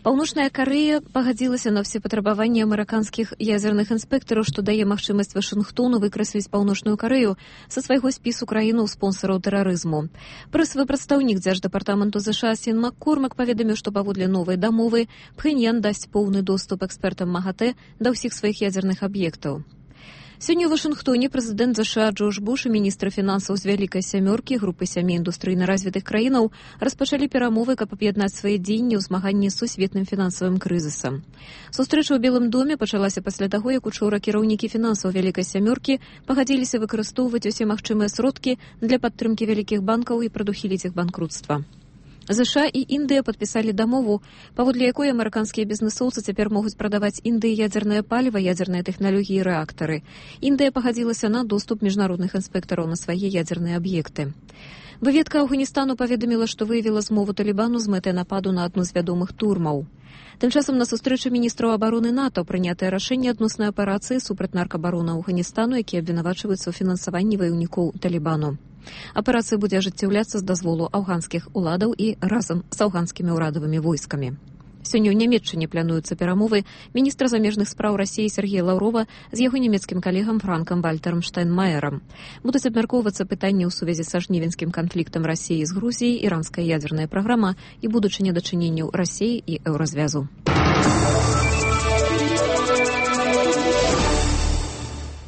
Паўночная Карэя пагадзілася на ўсе патрабаванні амерыканскіх ядзерных інспектараў, што дае магчымасць Вашынгтону выкрасліць Паўночную Карэю са свайго спісу краінаў спонсараў тэрарызму. Прэсавы прадстаўнік дзярждэпартаменту ЗША Сін Маккормак паведаміў, што паводле новай дамовы Пхэньян дасць поўны доступ экспертам МАГАТЭ да ўсіх сваіх ядзерных аб'ектаў. Сёння ў Вашынгтоне прэзідэнт ЗША Джордж Буш і міністр фінансаў з Вялікай сямёркі групы сямі індустрыйна развітых краінаў распачалі перамовы, каб аб'яднаць свае дзеянні ў змаганні з сусветным фінансавым крызісам. Сустрэча ў Белым доме пачалася пасля таго, як учора кіраўнікі фінансаў Вялікай сямёркі пагадзіліся выкарыстоўваць усе магчымыя сродкі для падтрымкі вялікіх банкаў і прадухіліць іх банкрутства. ЗША і Індыя падпісалі дамову, паводле якой амерыканскія бізнесоўцы цяпер могуць прадаваць Індыі ядзернае паліва, ядзерныя тэхналогіі і рэактары. Індыя пагадзілася на доступ міжнародных інспектараў на свае ядзерныя аб'екты. Выведка Афганістану паведаміла, што выявіла змову Талібану з мэтай нападу на адну з вядомых турмаў. Тым часам на сустрэчы міністраў абароны НАТО прынятае рашэнне адноснай аперацыі супраць наркабарона Афганістану, які абвінавачваюцца ў фінансаванні ваяўнікоў Талібану. Аперацыя будзе ажыццяўляцца з дазволу афганскіх уладаў і разам з афганскімі ўрадавымі войскамі. Сёння ў Нямецчыне плануюцца перамовы міністра замежных спраў Расіі Сергея Лаўрова з яго нямецкім калегам Франкам Вальтарам Штайнмаерам. Будуць абмяркоўвацца пытанні ў сувязі са жнівеньскім канфліктам Расіі з Грузіяй, іранская ядзерная праграма і будучыня дачыненняў Расіі і Еўразвязу.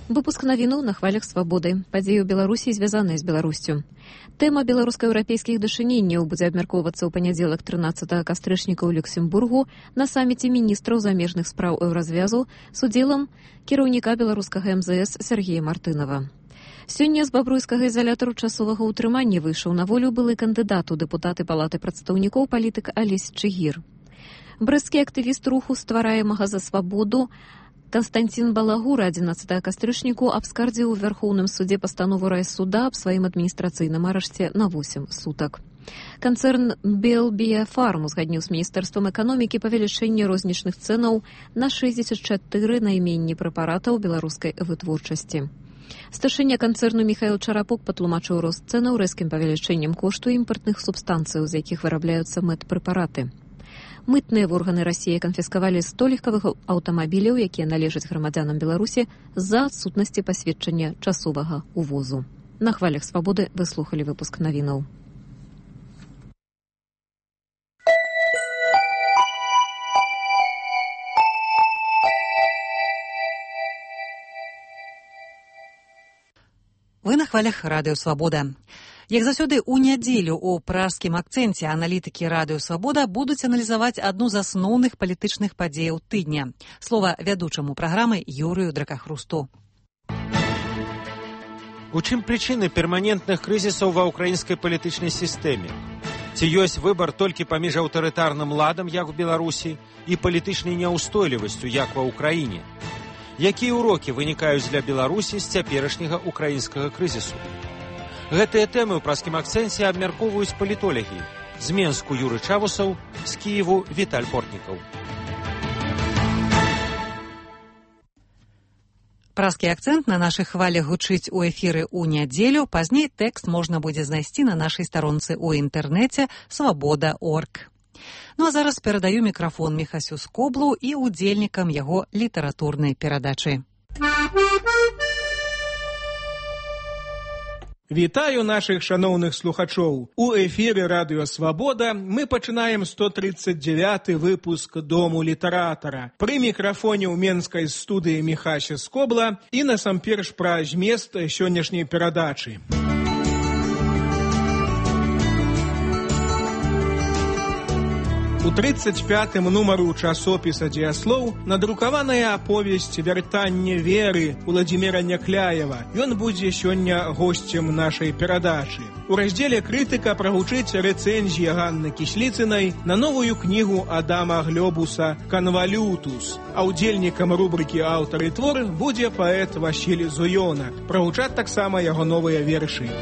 Выпуск навінаў на хвалях свабоды. Падзеі ў Беларусі звязаныя з Беларусцю. Тэма беларуска-еўрапейскіх дачыненняў будзе абмяркоўвацца ў панядзелак трынаццатага кастрычніка ў Люксембургу на саміце міністраў замежных спраў Еўразвязу з удзелам кіраўніка беларускага эм зэ эс Сергея Мартынова. Сёння з бабруйскага ізалятару часовага ўтрымання выйшаў на волю былы кандыдат у дэпутаты палаты прадстаўнікоў палітык Алесь Чыгір. Брэсцкі актывіст руху ствараемага за свабоду Константин Балагура адзінаццатага кастрычніку абскардзіў у Вярхоўным судзе пастанову райсуда аб сваім адміністрацыйным арашце на восем сутак. Канцэрн Белбіяфарм узгадніў з міністэрствам эканомікі павелічэнне рознічных цэнаў на шэсцьдзесят чатыры найменні прэпаратаў беларускай вытворчасці. Старшыня канцэрну Міхаіл Чарапок патлумачыў рост цэнаў рэзкім павелічэннем кошту імпартных субстанцый, з якіх вырабляюцца мэт-прэпараты. Мытныя органы Расіі канфіскавалі сто легкавых аўтамабіляў, якія належаць грамадзянам Беларусі з-за адсутнасці пасведчання часовага увозу. На хвалях свабоды вы слухалі выпуск навінаў. Вы на хвалях радыё «Свабода». Як заўсёды, у нядзелю у пражскім акцэнце аналітыкі радыё «Свабода» будуць аналізаваць адну з асноўных палітычных падзеяў тыдня. Слова вядучаму праграмы Юрыю Дракахрусту. У чым прычыны перманентных крызісаў ва ўкраінскай палітычнай сістэме? Ці ёсць выбар толькі паміж аўтарытарным ладам, як у Беларусі, і палітычнай няўстойлівасцю, як ва ўкраіне? Якія ўрокі вынікаюць для Беларусі з цяперашняга ўкраінскага крызісу? Гэтыя тэмы ў праскім акцэнце абмяркоўваюць палітолагі. З Менску Юры Чавусаў, з Кіеву Віталь Портнікаў. Празкі акцэнт на нашых хвалях гучыць у эфіры ў нядзелю. Пазней тэкст можна будзе знайсці на нашай старонцы ў інтэрнэце свабода крапка орг. Ну а зараз перадаю мікрафон Міхасю Скоблу і удзельнікам яго літаратурнай перадачы. Вітаю нашых шаноўных слухачоў. У эфіры Радыё Свабода мы пачынаем сто тридцать девяты выпуск Дому літаратара. Пры мікрафоне ў менскай студыі Міхася Скобла і насамперш пра змест сённяшняй перадачы. У тридцать пятым нумару часопіса «Дзеяслоў» надрукаваная аповесць «Вяртанне веры» Уладзіміра Някляева. Ён будзе сёння госцем нашай перадачы. У раздзеле «Крытыка» прагучыць рэцэнзія Ганны Кісліцынай на новую кнігу Адама Глёбуса «Канвалютус». А ўдзельнікам рубрыкі «Аўтар і твор» будзе паэт Васіль Зуёна. Прагучаць таксама яго новыя вершы.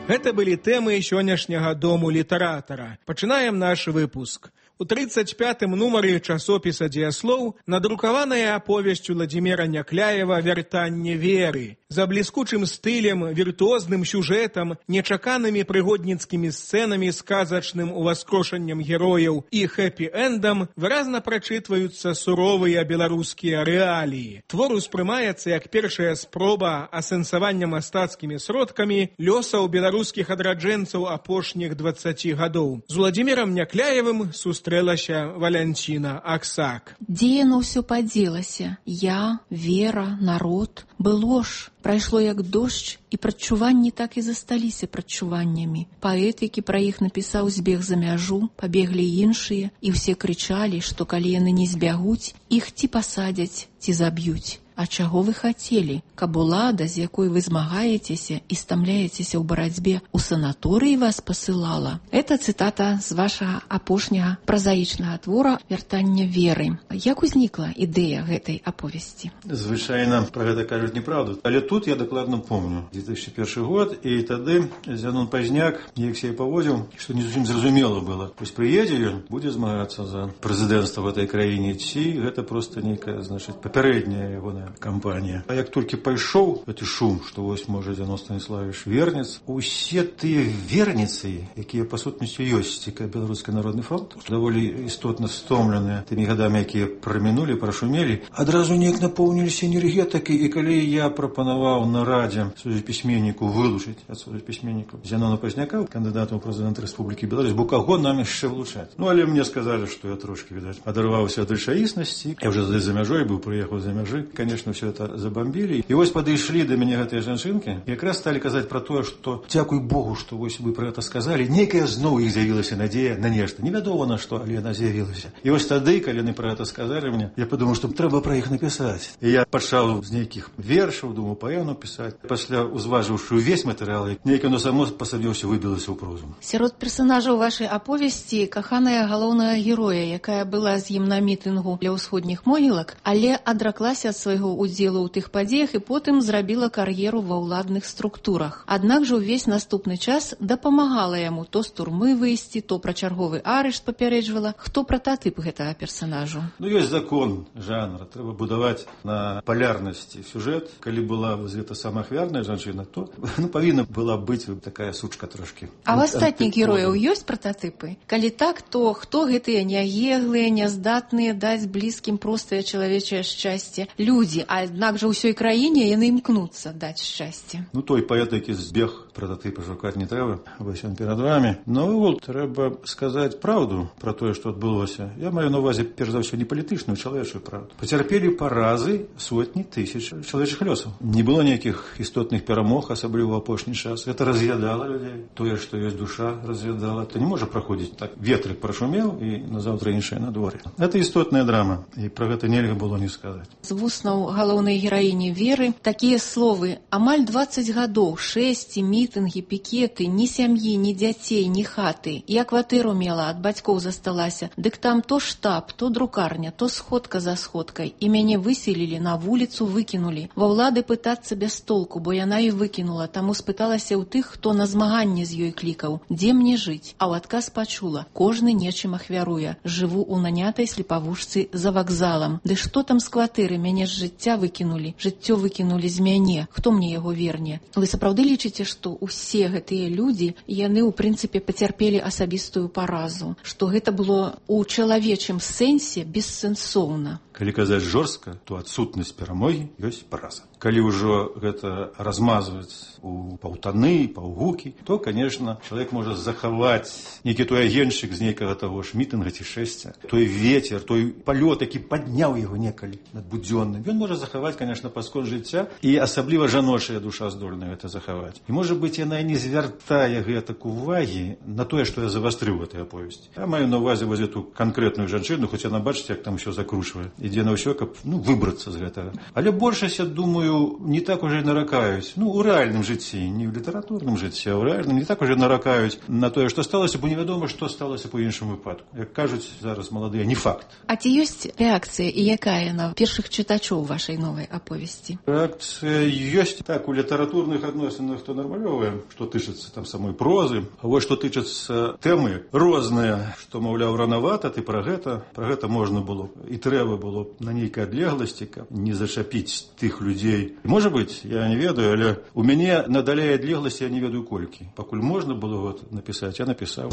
Гэта былі тэмы сённяшняга Дому літаратара. Пачынаем наш выпуск. У тридцать пятым нумары часопіса «Дзеяслоў» надрукаваная аповесць Уладзіміра Някляева «Вяртанне веры». За бліскучым стылем, віртуозным сюжэтам, нечаканымі прыгодніцкімі сцэнамі, сказачным уваскрошаннем герояў і хэпі-эндам выразна прачытваюцца суровыя беларускія рэаліі. Твор успрымаецца як першая спроба асэнсавання мастацкімі сродкамі лёсаў беларускіх адраджэнцаў апошніх дваццаці гадоў. З Уладзімірам Някляевым сустрэлася Валянціна Аксак. Дзе яно ўсё падзелася? Я, вера, народ. Было ж. Прайшло як дождж, і прадчуванні так і засталіся прадчуваннямі. Паэт, які пра іх напісаў, збег за мяжу, пабеглі іншыя, і ўсе крычалі, што калі яны не збягуць, іх ці пасадзяць, ці заб'юць. А чаго вы хацелі? Каб улада, з якой вы змагаецеся і стамляецеся ў барацьбе, у санаторыі вас пасылала? Это цытата з вашага апошняга празаічнага твора «Вяртанне веры». Як узнікла ідэя гэтай аповесці? Звычайна пра гэта кажуць неправду, але тут я дакладна помню. две тысячи першы год, і тады Зянон Пазняк неяк сябе паводзіў, што не зусім зразумела было. Вось прыедзе ён, будзе змагацца за прэзідэнцтва в этой краіне, ці гэта проста нейкая, значыць, папярэдняя ягоная кампанія. А як толькі пайшоў гэты шум, што вось, можа, Зянон Станіславович вернец, усе тыя верніцы, якія па сутнасці ёсць, цікавы Беларускі народны фронт, даволі істотна стомленыя тымі гадамі, якія прамінулі, прашумелі, адразу неяк напоўніліся энергетыкай. І калі я прапанаваў на радзе пісьменніку вылучыць ад пісьменнікаў Зянона Пазняка, кандыдатам у прэзідэнты Рэспублікі Беларусь, бо каго нам яшчэ вылучаць? Ну, але мне сказалі, што я трошки, відаць, адарваўся ад рэчаіснасці. Я ўжо за мяжой быў, прыехаў за мяжы. Конечно, все это забомбили. И вот подошли до меня гэтыя жанчынки, и как раз стали казаць про то, что дзякуй Богу, что вось вы про это сказали. Некая зноў іх з'явілася надзея на нешта. Невядома на што, але яна з'явілася. І вось тады, калі яны про это сказали мне, я подумал, что трэба про іх написать. И я пачаў з нейкіх вершаў, думаю, паэм написать. Пасля узважыўшы увесь матэрыял, нейка оно само па сабе ўсё выбілася ў прозу. Сярод персонажаў вашай аповесці каханая галоўнага героя, якая была з ім на мітынгу для ўсходніх могілак, але адраклася ад свайго удзелу ў тых падзеях і потым зрабіла кар'еру ва ўладных структурах. Аднак жа ўвесь наступны час дапамагала яму то з турмы выйсці, то пра чарговы арышт папярэджвала. Хто прататып гэтага персонажу? Ну, ёсць закон жанра. Трэба будаваць на палярнасці сюжэт. Калі была гэта сама ахвярная жанчына, то ну, павінна была быць такая сучка трошки. А ў астатніх герояў ёсць прататыпы? Калі так, то хто гэтыя няеглыя, няздатныя даць блізкім простае чалавечае шчасце людзі, аднак жа ўсёй краіне яны імкнуцца даць шчасце. Ну, той паэт, які збег прататыпы шукаць не трэба, вось ён перад вами. Ну, трэба сказаць праўду пра тое, што адбылося. Я маю на увазе, перш за ўсё, не палітычную, чалавечую праўду. Пацярпелі паразы сотні тысяч чалавечых лёсаў. Не было ніякіх істотных перамог, асабліва ў апошні час. Гэта раз'ядала людзей. Тое, што ёсць душа, раз'ядала. То не можа праходзіць так. Ветрык прашумеў, і назаўтра іншае надвор'е. Гэта істотная драма, і пра гэта нельга было не сказаць. З вуснаў галоўнай гераіні Веры такія словы: амаль дваццаць гадоў, шэсці, мітынгі, пікеты, ні сям'і, ні дзяцей, ні хаты. Я кватэру мела, ад бацькоў засталася. Дык там то штаб, то друкарня, то сходка за сходкай. І мяне выселілі, на вуліцу выкінулі. Ва ўлады пытацца без толку, бо яна і выкінула. Таму спыталася ў тых, хто на змаганне з ёй клікаў. Дзе мне жыць? А ў адказ пачула: кожны нечым ахвяруе. Жыву ў нанятай слепавушцы за вакзалам. Ды што там з кватэры? Мяне з жыцця выкінулі. Жыццё выкінулі з мяне. Хто мне яго верне? Вы сапраўды лічыце, што ўсе гэтыя людзі, яны ў прынцыпе пацярпелі асабістую паразу, што гэта было ў чалавечым сэнсе бессэнсоўна? Калі казаць жорстка, то адсутнасць перамогі ёсць параза. Калі ўжо гэта размазваць у паўтаны, паўгукі, то, конечно, чалавек можа захаваць нейкі той агеншчык з нейкага таго ж мітынга ці шэсця, той ветер, той палёт, які падняў яго некалі надбудзённым. Ён можа захаваць, конечно, паскон жыцця, і асабліва жаночая душа здольна гэта захаваць. І, можа быць, яна не звяртае гэтак увагі на тое, што я завастрыў гэтай аповесці. Я маю на ўвазе вось эту канкрэтную жанчыну, хоць яна, бачыце, як там усё закручвае. Ідзе на ўсё, каб, ну, выбрацца з гэтага. Але большасць, я думаю, не так уже і наракаюць. Ну, у рэальным жыцці, не ў літаратурным жыцці, а ў рэальным не так уже наракаюць на тое, што сталася, бо невядома, што сталася па іншым выпадку. Як кажуць зараз маладыя, не факт. А ці ёсць рэакцыя і якая на першых чытачоў вашай новай аповесці? Рэакцыя ёсць. Так, у літаратурных адносінах то нармалёвая, што тычыцца там самой прозы. А вось што тычыцца тэмы розныя, што, маўляў, ранавата, ты пра гэта, пра гэта можна было і трэба было на нейкай адлегласці, каб не зачапіць тых людзей. Можа быць, я не ведаю, але у мяне надалей адлегласці я не ведаю колькі. Пакуль можна было вот напісаць, я напісаў.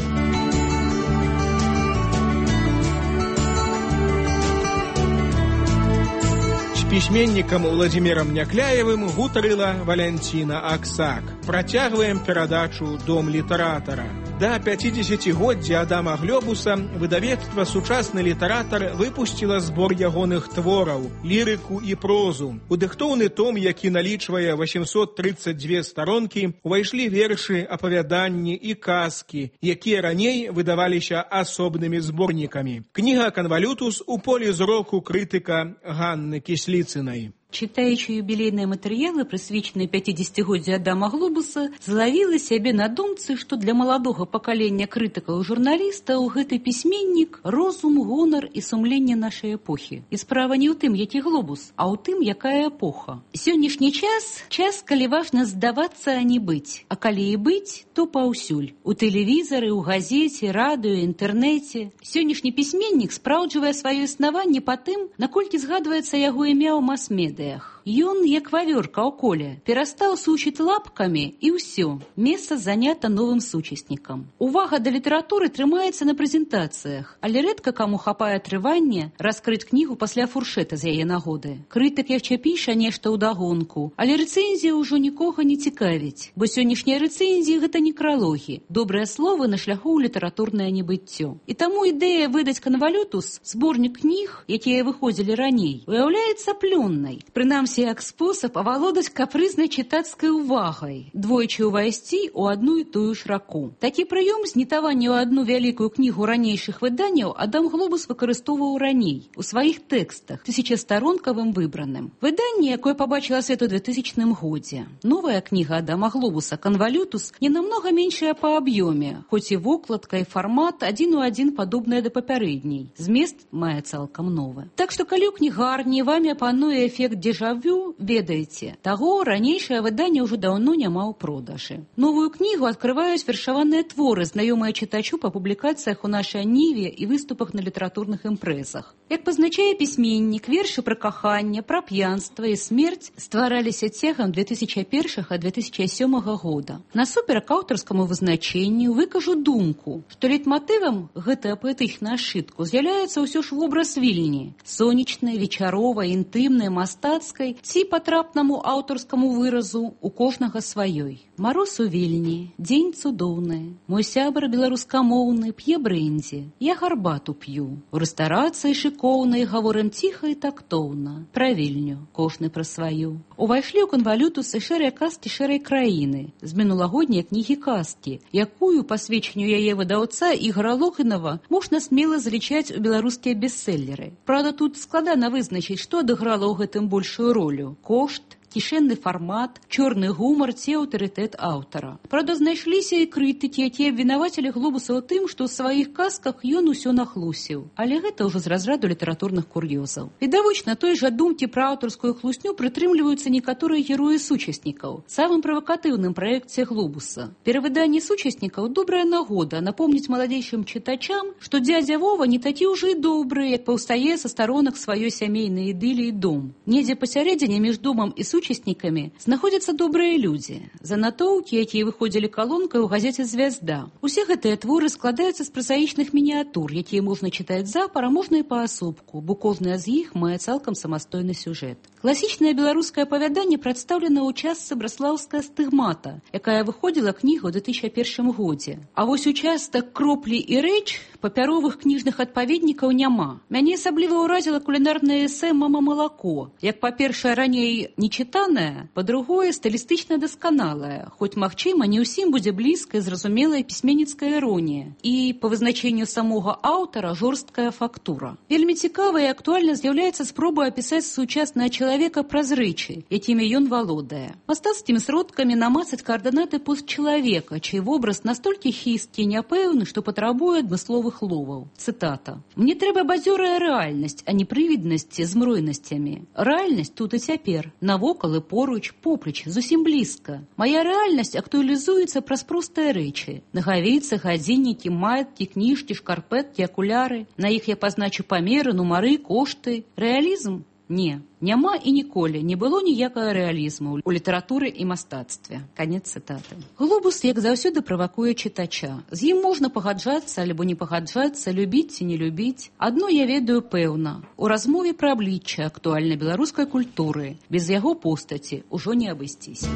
З пісьменнікам Уладзімірам Някляевым гутарыла Валянціна Аксак. Працягваем перадачу «Дом літаратара». Да пяцідзесяцігоддзя Адама Глёбуса выдавецтва «Сучасны літаратар» выпусціла збор ягоных твораў, лірыку і прозу. У дыхтоўны том, які налічвае восемьсот тридцать две старонкі, увайшлі вершы, апавяданні і казкі, якія раней выдаваліся асобнымі зборнікамі. Кніга «Канвалютус» у полі зроку крытыка Ганны Кісліцынай. Читаючи юбілейныя матэрыялы, прысвечаныя пяцідзесяцігоддзю Адама Глобуса, злавіла сябе на думцы, што для маладога пакалення крытыкаў і журналістаў гэты пісьменнік розум, гонар і сумленне нашай эпохі. І справа не ў тым, які Глобус, а ў тым, якая эпоха. Сённяшні час час, калі важна здавацца, а не быць. А калі і быць, то паўсюль. У тэлевізары, у газеце, радыё, інтэрнэце. Сённяшні пісьменнік спраўджвае сваё існаванне па тым, наколькі згадваецца яго імя ў мас-медыа. Ён, як вавёрка ў коле, перастаў сучыць лапкамі і ўсё. Месца занята новым сучаснікам. Увага да літаратуры трымаецца на прэзентацыях, але рэдка каму хапае трывання раскрыць кнігу пасля фуршэта з яе нагоды. Крытык яшчэ піша нешта ўдагонку, але рэцэнзія ўжо нікога не цікавіць, бо сённяшнія рэцэнзіі гэта некралогі, добрыя словы на шляху ў літаратурнае небыццё. І таму ідэя выдаць «Канвалютус», зборнік кніг, якія выходзілі раней, уяўляецца плённай. Прынамсі, як спосаб авалодаць капрызнай чытацкай увагай, двойчы ўвайсці ў адну і тую ж раку. Такі прыём знітавання ў адну вялікую кнігу ранейшых выданняў Адам Глобус выкарыстоўваў раней у сваіх тэкстах, тысячастаронкавым выбраным. Выданне, якое пабачыла свет у двухтысячным годзе. Новая кніга Адама Глобуса «Канвалютус» не намнога меншая па аб'ёме, хоць і вокладка і фармат адзін у адзін падобныя да папярэдняй. Змест мае цалкам новы. Так што калі ў кнігарні вамі пануе эфект дзежавю, ведаеце, таго ранейшае выданне ўжо даўно няма ў продажы. Новую кнігу адкрываюць вершаваныя творы, знаёмыя чытачу па публікацыях у нашай ніве і выступах на літаратурных імпрэзах. Як пазначае пісьменнік, вершы пра каханне, пра п'янства і смерць ствараліся цягам две тысячи першага - две тысячи сёмага года. Насуперак аўтарскаму вызначэнню выкажу думку, што лейтматывам гэтага паэтычнага сшытку з'яўляецца ўсё ж вобраз Вільні, сонечнай, вечаровай, інтымнай, мастацкай ці патрапнаму аўтарскаму выразу у кожнага сваёй. Мароз у Вільні, дзень цудоўны, мой сябар беларускамоўны п'е брэндзі, я гарбату п'ю. У рэстарацыі шыкоўнай гаворым ціха і тактоўна, пра Вільню, кожны пра сваю. Увайшлі ў «Канвалютус» і шэрыя казкі шэрай краіны, з мінулагодняй кнігі казкі, якую, па сведчанню яе выдаўца Ігора Логінава, можна смела залічаць у беларускія бестселлеры. Праўда, тут складана вызначыць, што адыграла ў гэтым большую ролю – кошт, кішэнны фармат, чорны гумар ці аўтарытэт аўтара. Правда, знайшліся і крытыкі, якія абвінавацілі Глобуса ў тым, што ў сваіх казках ён усё нахлусіў. Але гэта ўжо з разраду літаратурных кур'ёзаў. Відавочна, той жа думкі пра аўтарскую хлусню прытрымліваюцца некаторыя героі сучаснікаў. Самым правакатыўным праекце Глобуса. Перавыданне сучаснікаў добрая нагода напомніць маладзейшым чытачам, што дзядзя Вова не такі ўжо і добры, як паўстае са старонак сваёй сямейнай ідыліі дом. Недзе пасярэдзіне між домам і сучаснікам супрычаснікамі знаходзяцца добрыя людзі, занатоўкі, якія выходзілі калонкай у газеце «Звязда». Усе гэтыя творы складаюцца з празаічных мініятур, якія можна чытаць запар, а можна і паасобку, бо кожная з іх мае цалкам самастойны сюжэт. Класічнае беларускае апавяданне прадстаўлена ў частцы «Браслаўская стыгмата», якая выходзіла кніга ў две тысячы першым годзе. А вось участак «Кроплі і рэч» папяровых кніжных адпаведнікаў няма. Мяне асабліва ўразіла кулінарнае эсэ «Мама малако». Як, па-першае, раней нечытанае, па-другое, стылістычна дасканалае, хоць, магчыма, не ўсім будзе блізкая зразумелая пісьменніцкая іронія і, па вызначэнню самога аўтара, жорсткая фактура. Вельмі цікава і актуальна з'яўляецца спроба апісаць сучаснае чалавека праз рэчы, якімі ён валодае. Мастацкімі сродкамі намацаць каардынаты постчалавека, чый вобраз настолькі хісткі і няпэўны, што патрабуе адмысловых ловаў. Цытата. «Мне трэба бадзёрая рэальнасць, а не прывіднасці з мройнасцямі. Рэальнасць тут і цяпер, навокал і поруч, поплеч, зусім блізка. Мая рэальнасць актуалізуецца праз простыя рэчы. Нагавейцы, гадзіннікі, маяткі, кніжкі, шкарпэткі, акуляры. На іх я пазначу памеры, нумары, кошты. Рэалізм? Не, няма і ніколі не было ніякага рэалізму ў літаратуры і мастацтве». Канец цытаты. Глобус, як заўсёды, правакуе чытача. З ім можна пагаджацца альбо не пагаджацца, любіць ці не любіць. Адно я ведаю пэўна. У размове пра аблічча актуальнай беларускай культуры без яго постаці ўжо не абысціся.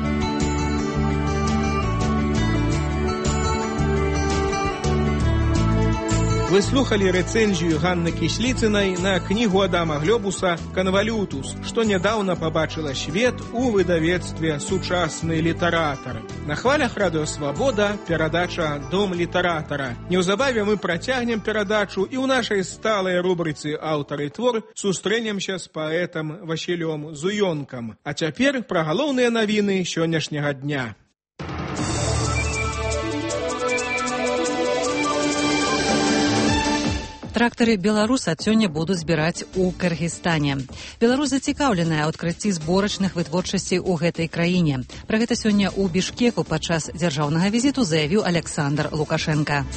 Вы слухали рэцэнзію Ганны Кісліцынай на кнігу Адама Глёбуса «Канвалютус», што нядаўна пабачыла свет у выдавецтве «Сучасны літаратар». На хвалях Радыё Свабода перадача «Дом літаратара». Неўзабаве мы працягнем перадачу і ў нашай сталай рубрыцы «Аўтар і твор» сустрэнемся з паэтам Васілём Зуёнкам. А цяпер пра галоўныя навіны сённяшняга дня. Трактары «Беларус» ад сёння будуць збіраць у Кыргызстане. Беларусь зацікаўленая ў адкрыцці зборачных вытворчасцей у гэтай краіне. Пра гэта сёння ў Бішкеку падчас дзяржаўнага візіту заявіў Александр Лукашенко.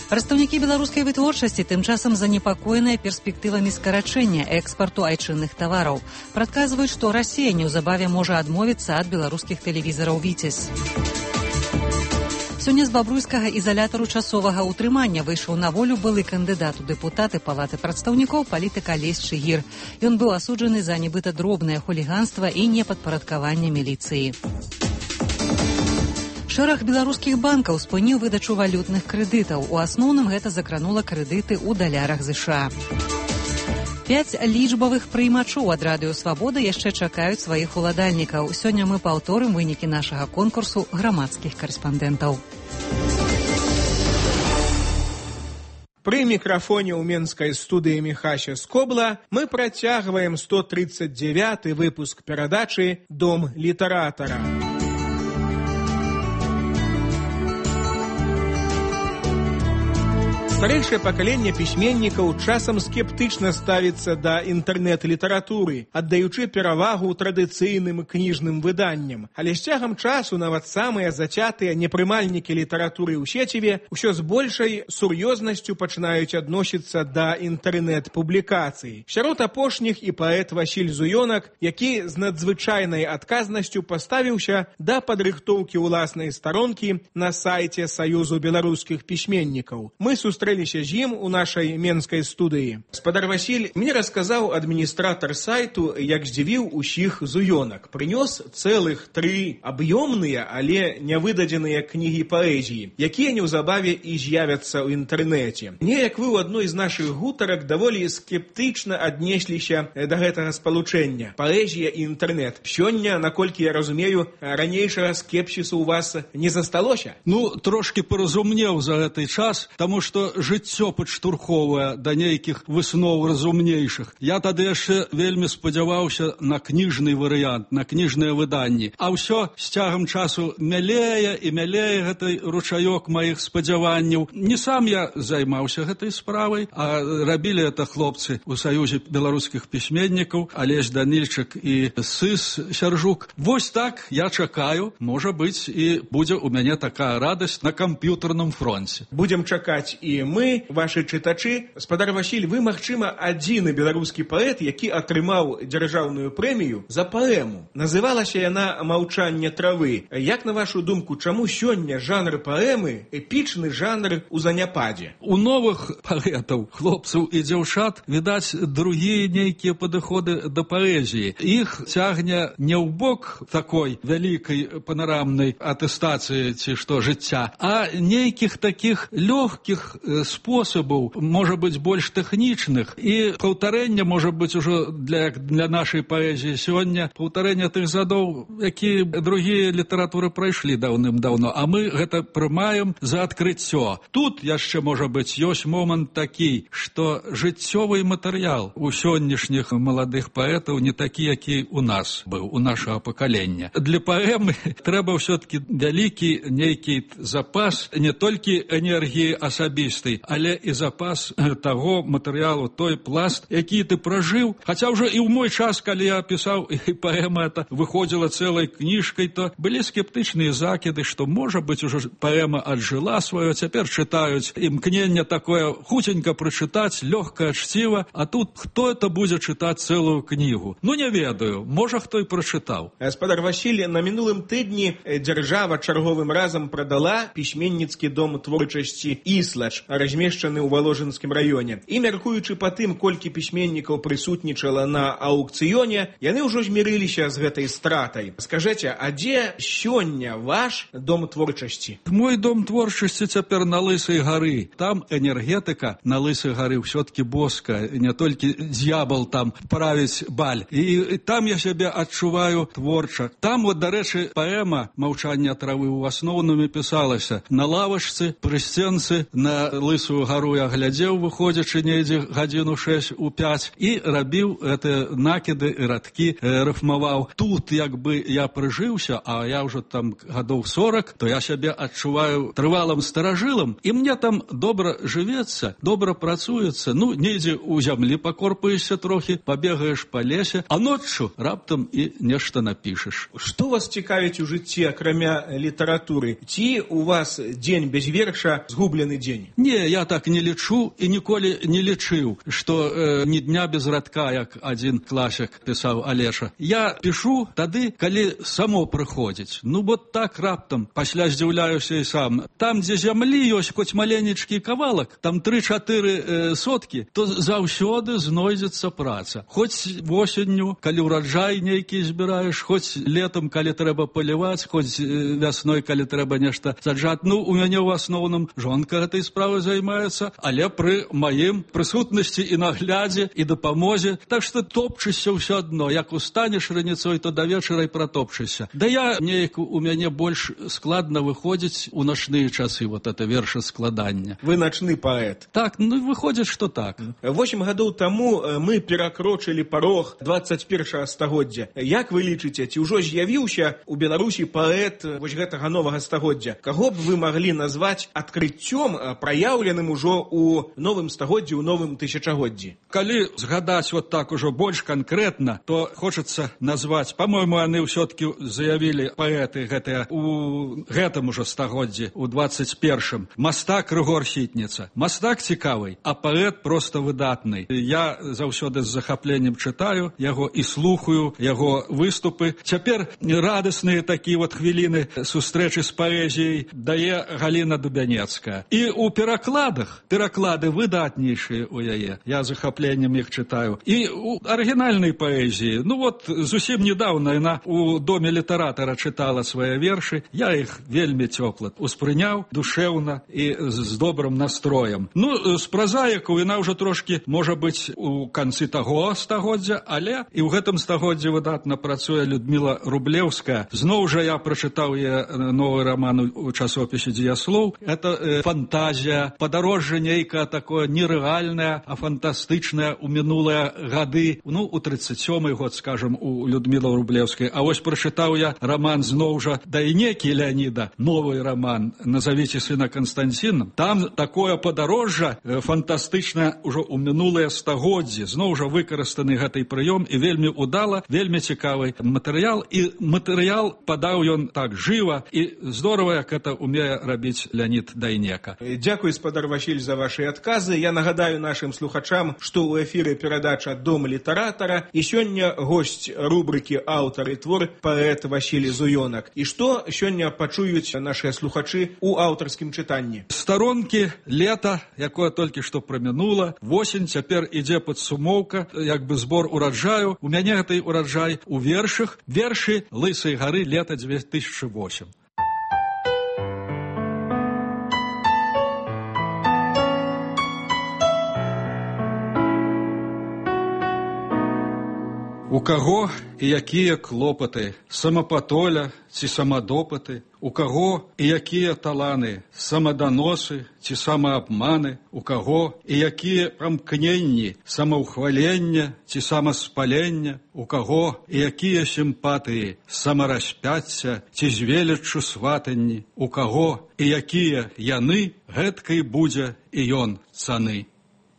Прадстаўнікі беларускай вытворчасці тым часам занепакоеныя перспектывамі скарачэння экспарту айчынных тавараў. Прадказваюць, што Расія неўзабаве можа адмовіцца ад беларускіх тэлевізараў «Віцязь». Сёння з бабруйскага ізалятару часовага ўтрымання выйшаў на волю былы кандыдат у дэпутаты Палаты прадстаўнікоў палітык Алесь Чыгір. Ён быў асуджаны за нібыта дробнае хуліганства і непадпарадкаванне міліцыі. Шэраг беларускіх банкаў спыніў выдачу валютных крэдытаў. У асноўным гэта закранула крэдыты ў далярах ЗША. Пяць лічбавых прыймачоў ад Радыё Свабода яшчэ чакаюць сваіх уладальнікаў. Сёння мы паўторым вынікі нашага конкурсу грамадскіх карэспандэнтаў. Пры мікрафоне ў менскай студыі Міхася Скобла мы працягваем сто тридцать девяты выпуск перадачы «Дом літаратара». Старэйшае пакаленне пісьменнікаў часам скептычна ставіцца да інтэрнэт-літаратуры, аддаючы перавагу традыцыйным кніжным выданням. Але з цягам часу нават самыя зацятыя непрымальнікі літаратуры ў сеціве ўсё з большай сур'ёзнасцю пачынаюць адносіцца да інтэрнэт-публікацый. Сярод апошніх і паэт Васіль Зуёнак, які з надзвычайнай адказнасцю паставіўся да падрыхтоўкі ўласнай старонкі на сайце Саюзу беларускіх пісьменнікаў. Мы сустрэліся з ім у нашай менскай студыі. Спадар Васіль, мне расказаў адміністратар сайту, як здзівіў усіх Зуёнак. Прынёс цэлых тры аб'ёмныя, але нявыдадзеныя кнігі паэзіі, якія неўзабаве і з'явяцца ў інтэрнэце. Неяк вы ў адной з нашых гутарак даволі скептычна аднесліся да гэтага спалучэння. Паэзія і інтэрнэт. Сёння, наколькі я разумею, ранейшага скепсісу ў вас не засталося? Ну, трошки паразумнеў за гэты час, таму што жыццё падштурхоўвае да нейкіх высноў разумнейшых. Я тады яшчэ вельмі спадзяваўся на кніжны варыянт, на кніжныя выданні. А ўсё з цягам часу мялее і мялее гэты ручаёк маіх спадзяванняў. Не сам я займаўся гэтай справай, а рабілі это хлопцы ў Саюзе беларускіх пісьменнікаў, Алесь Данільчык і Сыс Сяржук. Вось так я чакаю, можа быць, і будзе ў мяне такая радасць на камп'ютарным фронце. Будзем чакаць і мы, ваши чытачы. Спадар Васіль, вы, магчыма, адзіны беларускі паэт, які атрымаў дзяржаўную прэмію за паэму. Называлася яна «Маўчанне травы». Як, на вашу думку, чаму сёння жанр паэмы эпічны жанр у заняпадзе? У новых паэтаў, хлопцаў і дзяўчат, відаць, другія нейкія падыходы да паэзіі. Іх цягне не ў бок такой вялікай панарамнай атэстацыі ці што жыцця, а нейкіх такіх лёгкіх спосабаў, можа быць, больш тэхнічных, і паўтарэння можа быць ужо для, для нашай паэзіі сёння паўтарэння тых задоў, якія другія літаратуры прайшлі даўным-даўно, а мы гэта прымаем за адкрыццё. Тут яшчэ, можа быць, ёсць момант такі, што жыццёвы матэрыял у сённяшніх маладых паэтаў не такі, які у нас быў, у нашага пакалення. Для паэмы трэба ўсё-таки вялікі нейкі запас не толькі энергіі асабістай, але і запас таго матэрыялу, той пласт, які ты пражыў. Хаця ўжо і ў мой час, калі я пісаў, і паэма это выходзіла цэлай кніжкай, то былі скептычныя закіды, што, можа быць, ужо паэма аджыла сваё, цяпер чытаюць імкненне такое хуценька прачытаць, лёгка, чціва, а тут хто это будзе чытаць цэлую кнігу? Ну, не ведаю, можа, хто і прачытаў. Спадар Васіль, на мінулым тыдні дзяржава чарговым разам прадала пісьменніцкі дом творчасці «Іслач», размешчаны ў Валожынскім раёне. І, мяркуючы па тым, колькі пісьменнікаў прысутнічала на аукцыёне, яны ўжо змірыліся з гэтай стратай. Скажэце, а дзе сёння ваш дом творчасці? Мой дом творчасці цяпер на Лысай гары. Там энергетыка на Лысай гары ўсё-таки боска, не толькі д'ябал там правіць баль. І, і там я сябе адчуваю творча. Там, вот, дарэчы, паэма «Маўчанне травы» у асноўным пісалася на лавачцы, пры сценцы, на Лысую гару я глядзеў, выходзячы недзе гадзіну шэсць у пяць, і рабіў гэтыя накіды і радкі, э, рыфмаваў. Тут, як бы, я прыжыўся, а я ўжо там гадоў сорак, то я сябе адчуваю трывалым старажылам, і мне там добра жывецца, добра працуецца. Ну, недзе ў зямлі пакорпаешся трохі, пабегаеш па лесе, а ноччу раптам і нешта напішаш. Што вас цікавіць у жыцці, акрамя літаратуры? Ці у вас дзень без верша згублены дзень? Не, я так не лічу і ніколі не лічыў, што э, ні дня без радка, як адзін класік пісаў Алеша. Я пішу тады, калі само прыходзіць. Ну, вот так раптам, пасля здзіўляюся і сам. Там, дзе зямлі ёсць хоць маленечкі кавалак, там тры-чатыры э, соткі, то заўсёды знойдзецца праца. Хоць восенню, калі ўраджай нейкі збіраеш, хоць летом, калі трэба паліваць, хоць э, вясной, калі трэба нешта саджаць. Ну, у мяне ў асноўным жонка гэтай справай займаецца, але пры маім прысутнасці і наглядзе, і дапамозе. Так што топчышся ўсё адно. Як устанеш раніцой, то да вечара і пратопчышся. Да я неяк у мяне больш складна выходзіць у начныя часы, вот это вершаскладання. Вы начны паэт. Так, ну выходзіць, што так. Восем гадоў таму мы перакрочылі парог дваццаць першага стагоддзя. Як вы лічыце, ці ўжо з'явіўся у Беларусі паэт вось гэтага новага стагоддзя? Каго б вы маглі назваць адкрыццём, праяўленым ужо у новым стагоддзі, у новым тысячагоддзі? Калі згадаць вот так ужо больш канкрэтна, то хочацца назваць, па-мойму, яны ўсё-таки заявілі паэты гэтыя у гэтым ужо стагоддзі, у дваццаць першым. Мастак Рыгор Сітніца. Мастак цікавый, а паэт проста выдатны. Я заўсёды з захапленнем чытаю яго і слухаю яго выступы. Цяпер радасныя такія вот хвіліны сустрэчы з паэзіяй дае Галіна Дубянецкая. І у перакладах, пераклады выдатнейшыя у яе. Я захапленнем іх чытаю. І у арыгінальнай паэзіі, ну вот зусім недаўна яна у доме літаратара чытала свае вершы. Я іх вельмі цёпла успрыняў, душэўна і з добрым настроем. Ну, з празаікаў яна ўжо трошкі, можа быць, у канцы таго стагоддзя, але і ў гэтым стагоддзі выдатна працуе Людміла Рублеўская. Зноў жа я прачытаў яе новы роман у часопісе «Дзеяслоў». Это э, фантазія, падарожжа нейкае такое нерэальнае, а фантастычнае у мінулыя гады. Ну, у тридцать сёмы год, скажем, у Людмілы Рублеўскай. А вось прачытаў я роман зноў жа Дайнекі Леаніда, новый роман «Назовите сына Константином». Там такое падарожжа э, фантастычнае ўжо ў мінулыя стагоддзі. Зноў жа выкарыстаны гэтай прыём і вельмі удала, вельмі цікавы матэрыял. І матэрыял падаў ён так жыва і здорава, як это умее рабіць Леонид Дайнека. Дякую, гаспадар Васіль, за ваши адказы. Я нагадаю нашим слухачам, што ў эфіры перадача «Дом літаратара» і сёння госць рубрыкі «Аўтар і твор» паэт Васіль Зуёнак. І што сёння пачуюць нашыя слухачы ў аўтарскім чытанні? Старонкі лета, якое толькі што прамінула, восень, цяпер ідзе падсумоўка, як бы збор ураджаю. У мяне гэты ураджай у вершах, вершы «Лысай гары» лета две тысячи восемь. У каго і якія клопаты, самапатоля ці самадопыты, у каго і якія таланы, самаданосы ці самаабманы, у каго і якія прамкненні, самаўхвалення ці самаспалення, у каго і якія сімпатыі, самараспяцця ці з веліччу сватанні, у каго і якія яны, гэткай будзе і ён цаны.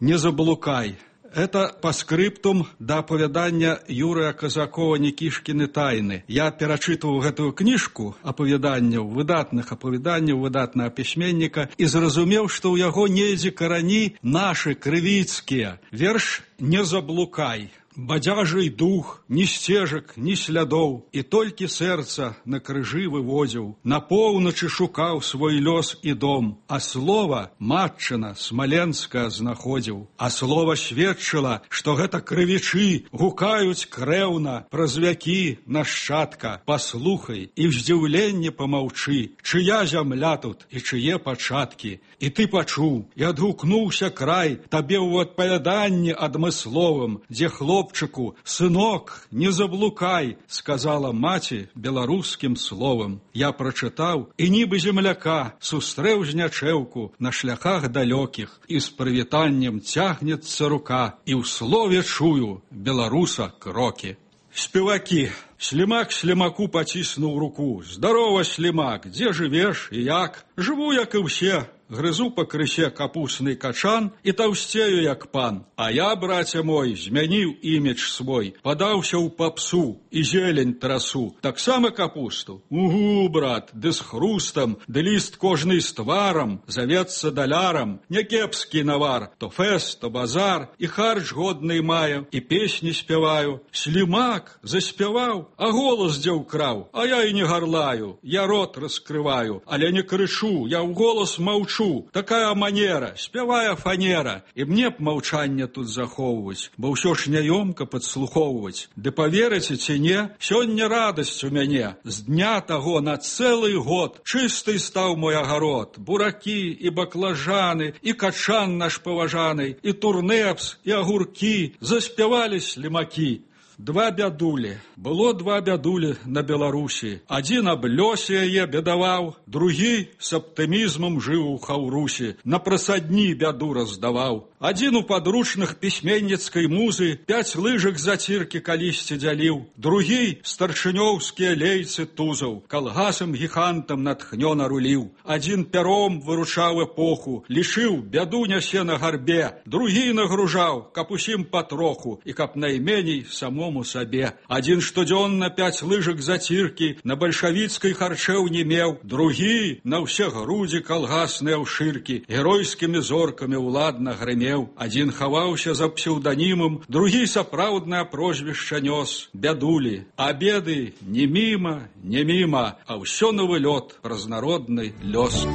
Не заблукай. Это по скриптум да апавядання Юрыя Казакова «Никішкіны тайны». Я перачытваў гэтую кніжку апавяданняў, выдатных апавяданняў, выдатнага пісьменніка, і зразумеў, што ў яго недзе карані нашы крывіцкія. Верш «Не заблукай». Бадзяжый дух, ні сцежак, ні слядоў, і толькі сэрца на крыжы вывозіў, на поўначы шукаў свой лёс і дом, а слова матчына смаленская знаходзіў, а слова сведчыла, што гэта крывічы гукаюць крэўна праз вякі нашчадка, паслухай і ў здзіўленні памаўчы, чыя зямля тут і чые пачаткі, і ты пачуў, і адгукнуўся край табе ў адпавяданні адмысловым, дзе хлоп Хлопчыку, сынок, не заблукай, сказала маці беларускім словам. Я прачытаў, і нібы земляка сустрэў знячэўку на шляхах далёкіх, і з прывітаннем цягнецца рука, і ў слове чую беларуса крокі. Спевакі. Слімак слімаку паціснуў руку. Здарова, слімак, дзе жывеш і як? Жыву, як і ўсе. Грызу па крысе капусны качан і таўсцею, як пан. А я, браце мой, змяніў імідж свой, падаўся ў папсу і зелень трасу. Таксама капусту? Угу, брат, ды з хрустам, ды ліст кожны з тварам, завецца далярам. Някепскі навар, то фэст, то базар, і харч годны маю, і песні спяваю. Слімак заспяваў, а голас дзе ўкраў, а я і не гарлаю, я рот раскрываю, але не крычу, я ў голас маўчу. Такая манера, спявая фанера, і мне б маўчанне тут захоўваць, бо ўсё ж няёмка падслухоўваць. Ды паверыце ці не, сёння радасць у мяне. З дня таго на цэлы год чысты стаў мой агарод. Буракі і баклажаны, і качан наш паважаны, і турнепс, і агуркі, заспявалі слімакі. Два бядулі. Было два бядулі на Беларусі. Адзін аб лёсе яе бедаваў, другі з аптымізмам жыў у Хаўрусі, на прасадні бяду раздаваў. Адзін у падручных пісьменніцкай музы пяць лыжак заціркі калісьці дзяліў, другі старшынёўскія лейцы тузаў, калгасам гігантам натхнёна руліў. Адзін пяром выручаў эпоху, лічыў, бяду нясе на гарбе, другі нагружаў, каб усім патроху і каб найменей самому сабе. Адзін штодзённа пяць лыжак заціркі на бальшавіцкай харчэў не меў, другі на ўсе грудзі калгасныя ўшыркі геройскімі зоркамі ўладна грымеў. Адзін хаваўся за псеўданімам, другі сапраўднае прозвішча нёс, бядулі. А беды не міма, не міма, а ўсё новы лёт, разнародны лёс.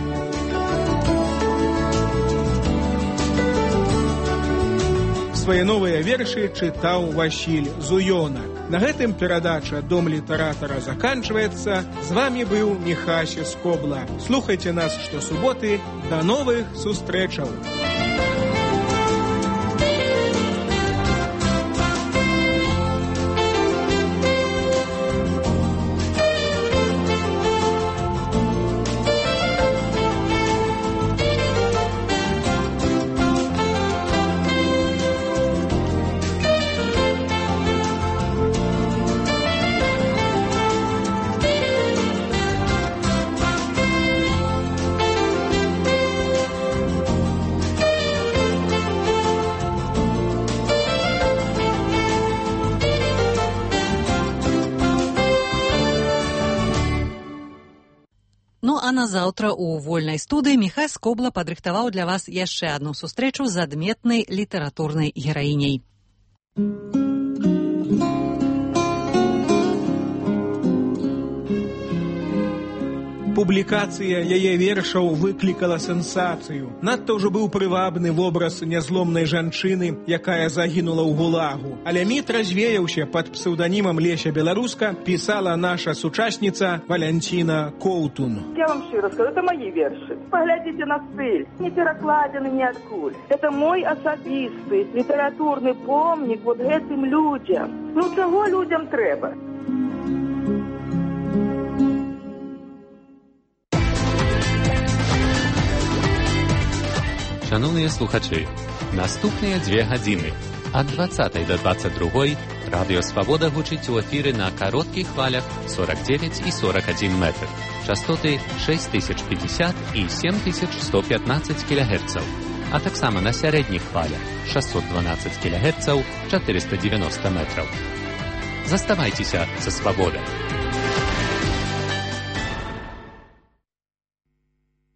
Свае новыя вершы чытаў Васіль Зуёнак. На гэтым перадача «Дом літаратара» заканчваецца. З вамі быў Міхася Скобла. Слухайце нас штосуботы. Да новых сустрэчаў! назаўтра у вольнай студыі Міхась Скобла падрыхтаваў для вас яшчэ адну сустрэчу з адметнай літаратурнай гераіняй. Публікацыя яе вершаў выклікала сенсацыю. Надта ўжо быў прывабны вобраз нязломнай жанчыны, якая загінула ў гулагу. Але міт развеяўся. Пад псеўданімам Леся Беларуска пісала наша сучасніца Валянціна Коўтун. Я вам шчыра скажу, это мои вершы. Поглядите на стыль, не перакладзены ніадкуль. Это мой асабісты літаратурны помнік вот гэтым людзям. Ну чаго людзям трэба? Шановні слухачі, наступні дві години від двадцятої до двадцять другої Радіо Свобода гучить у ефірі на коротких хвалях сорок дев'ять і сорок один метр, частоти шість тисяч п'ятдесят і сім тисяч сто п'ятнадцять кілогерців, а так само на середніх хвалях шістсот дванадцять кілогерців, чотириста дев'яносто метрів. Заставайтеся со Свободой.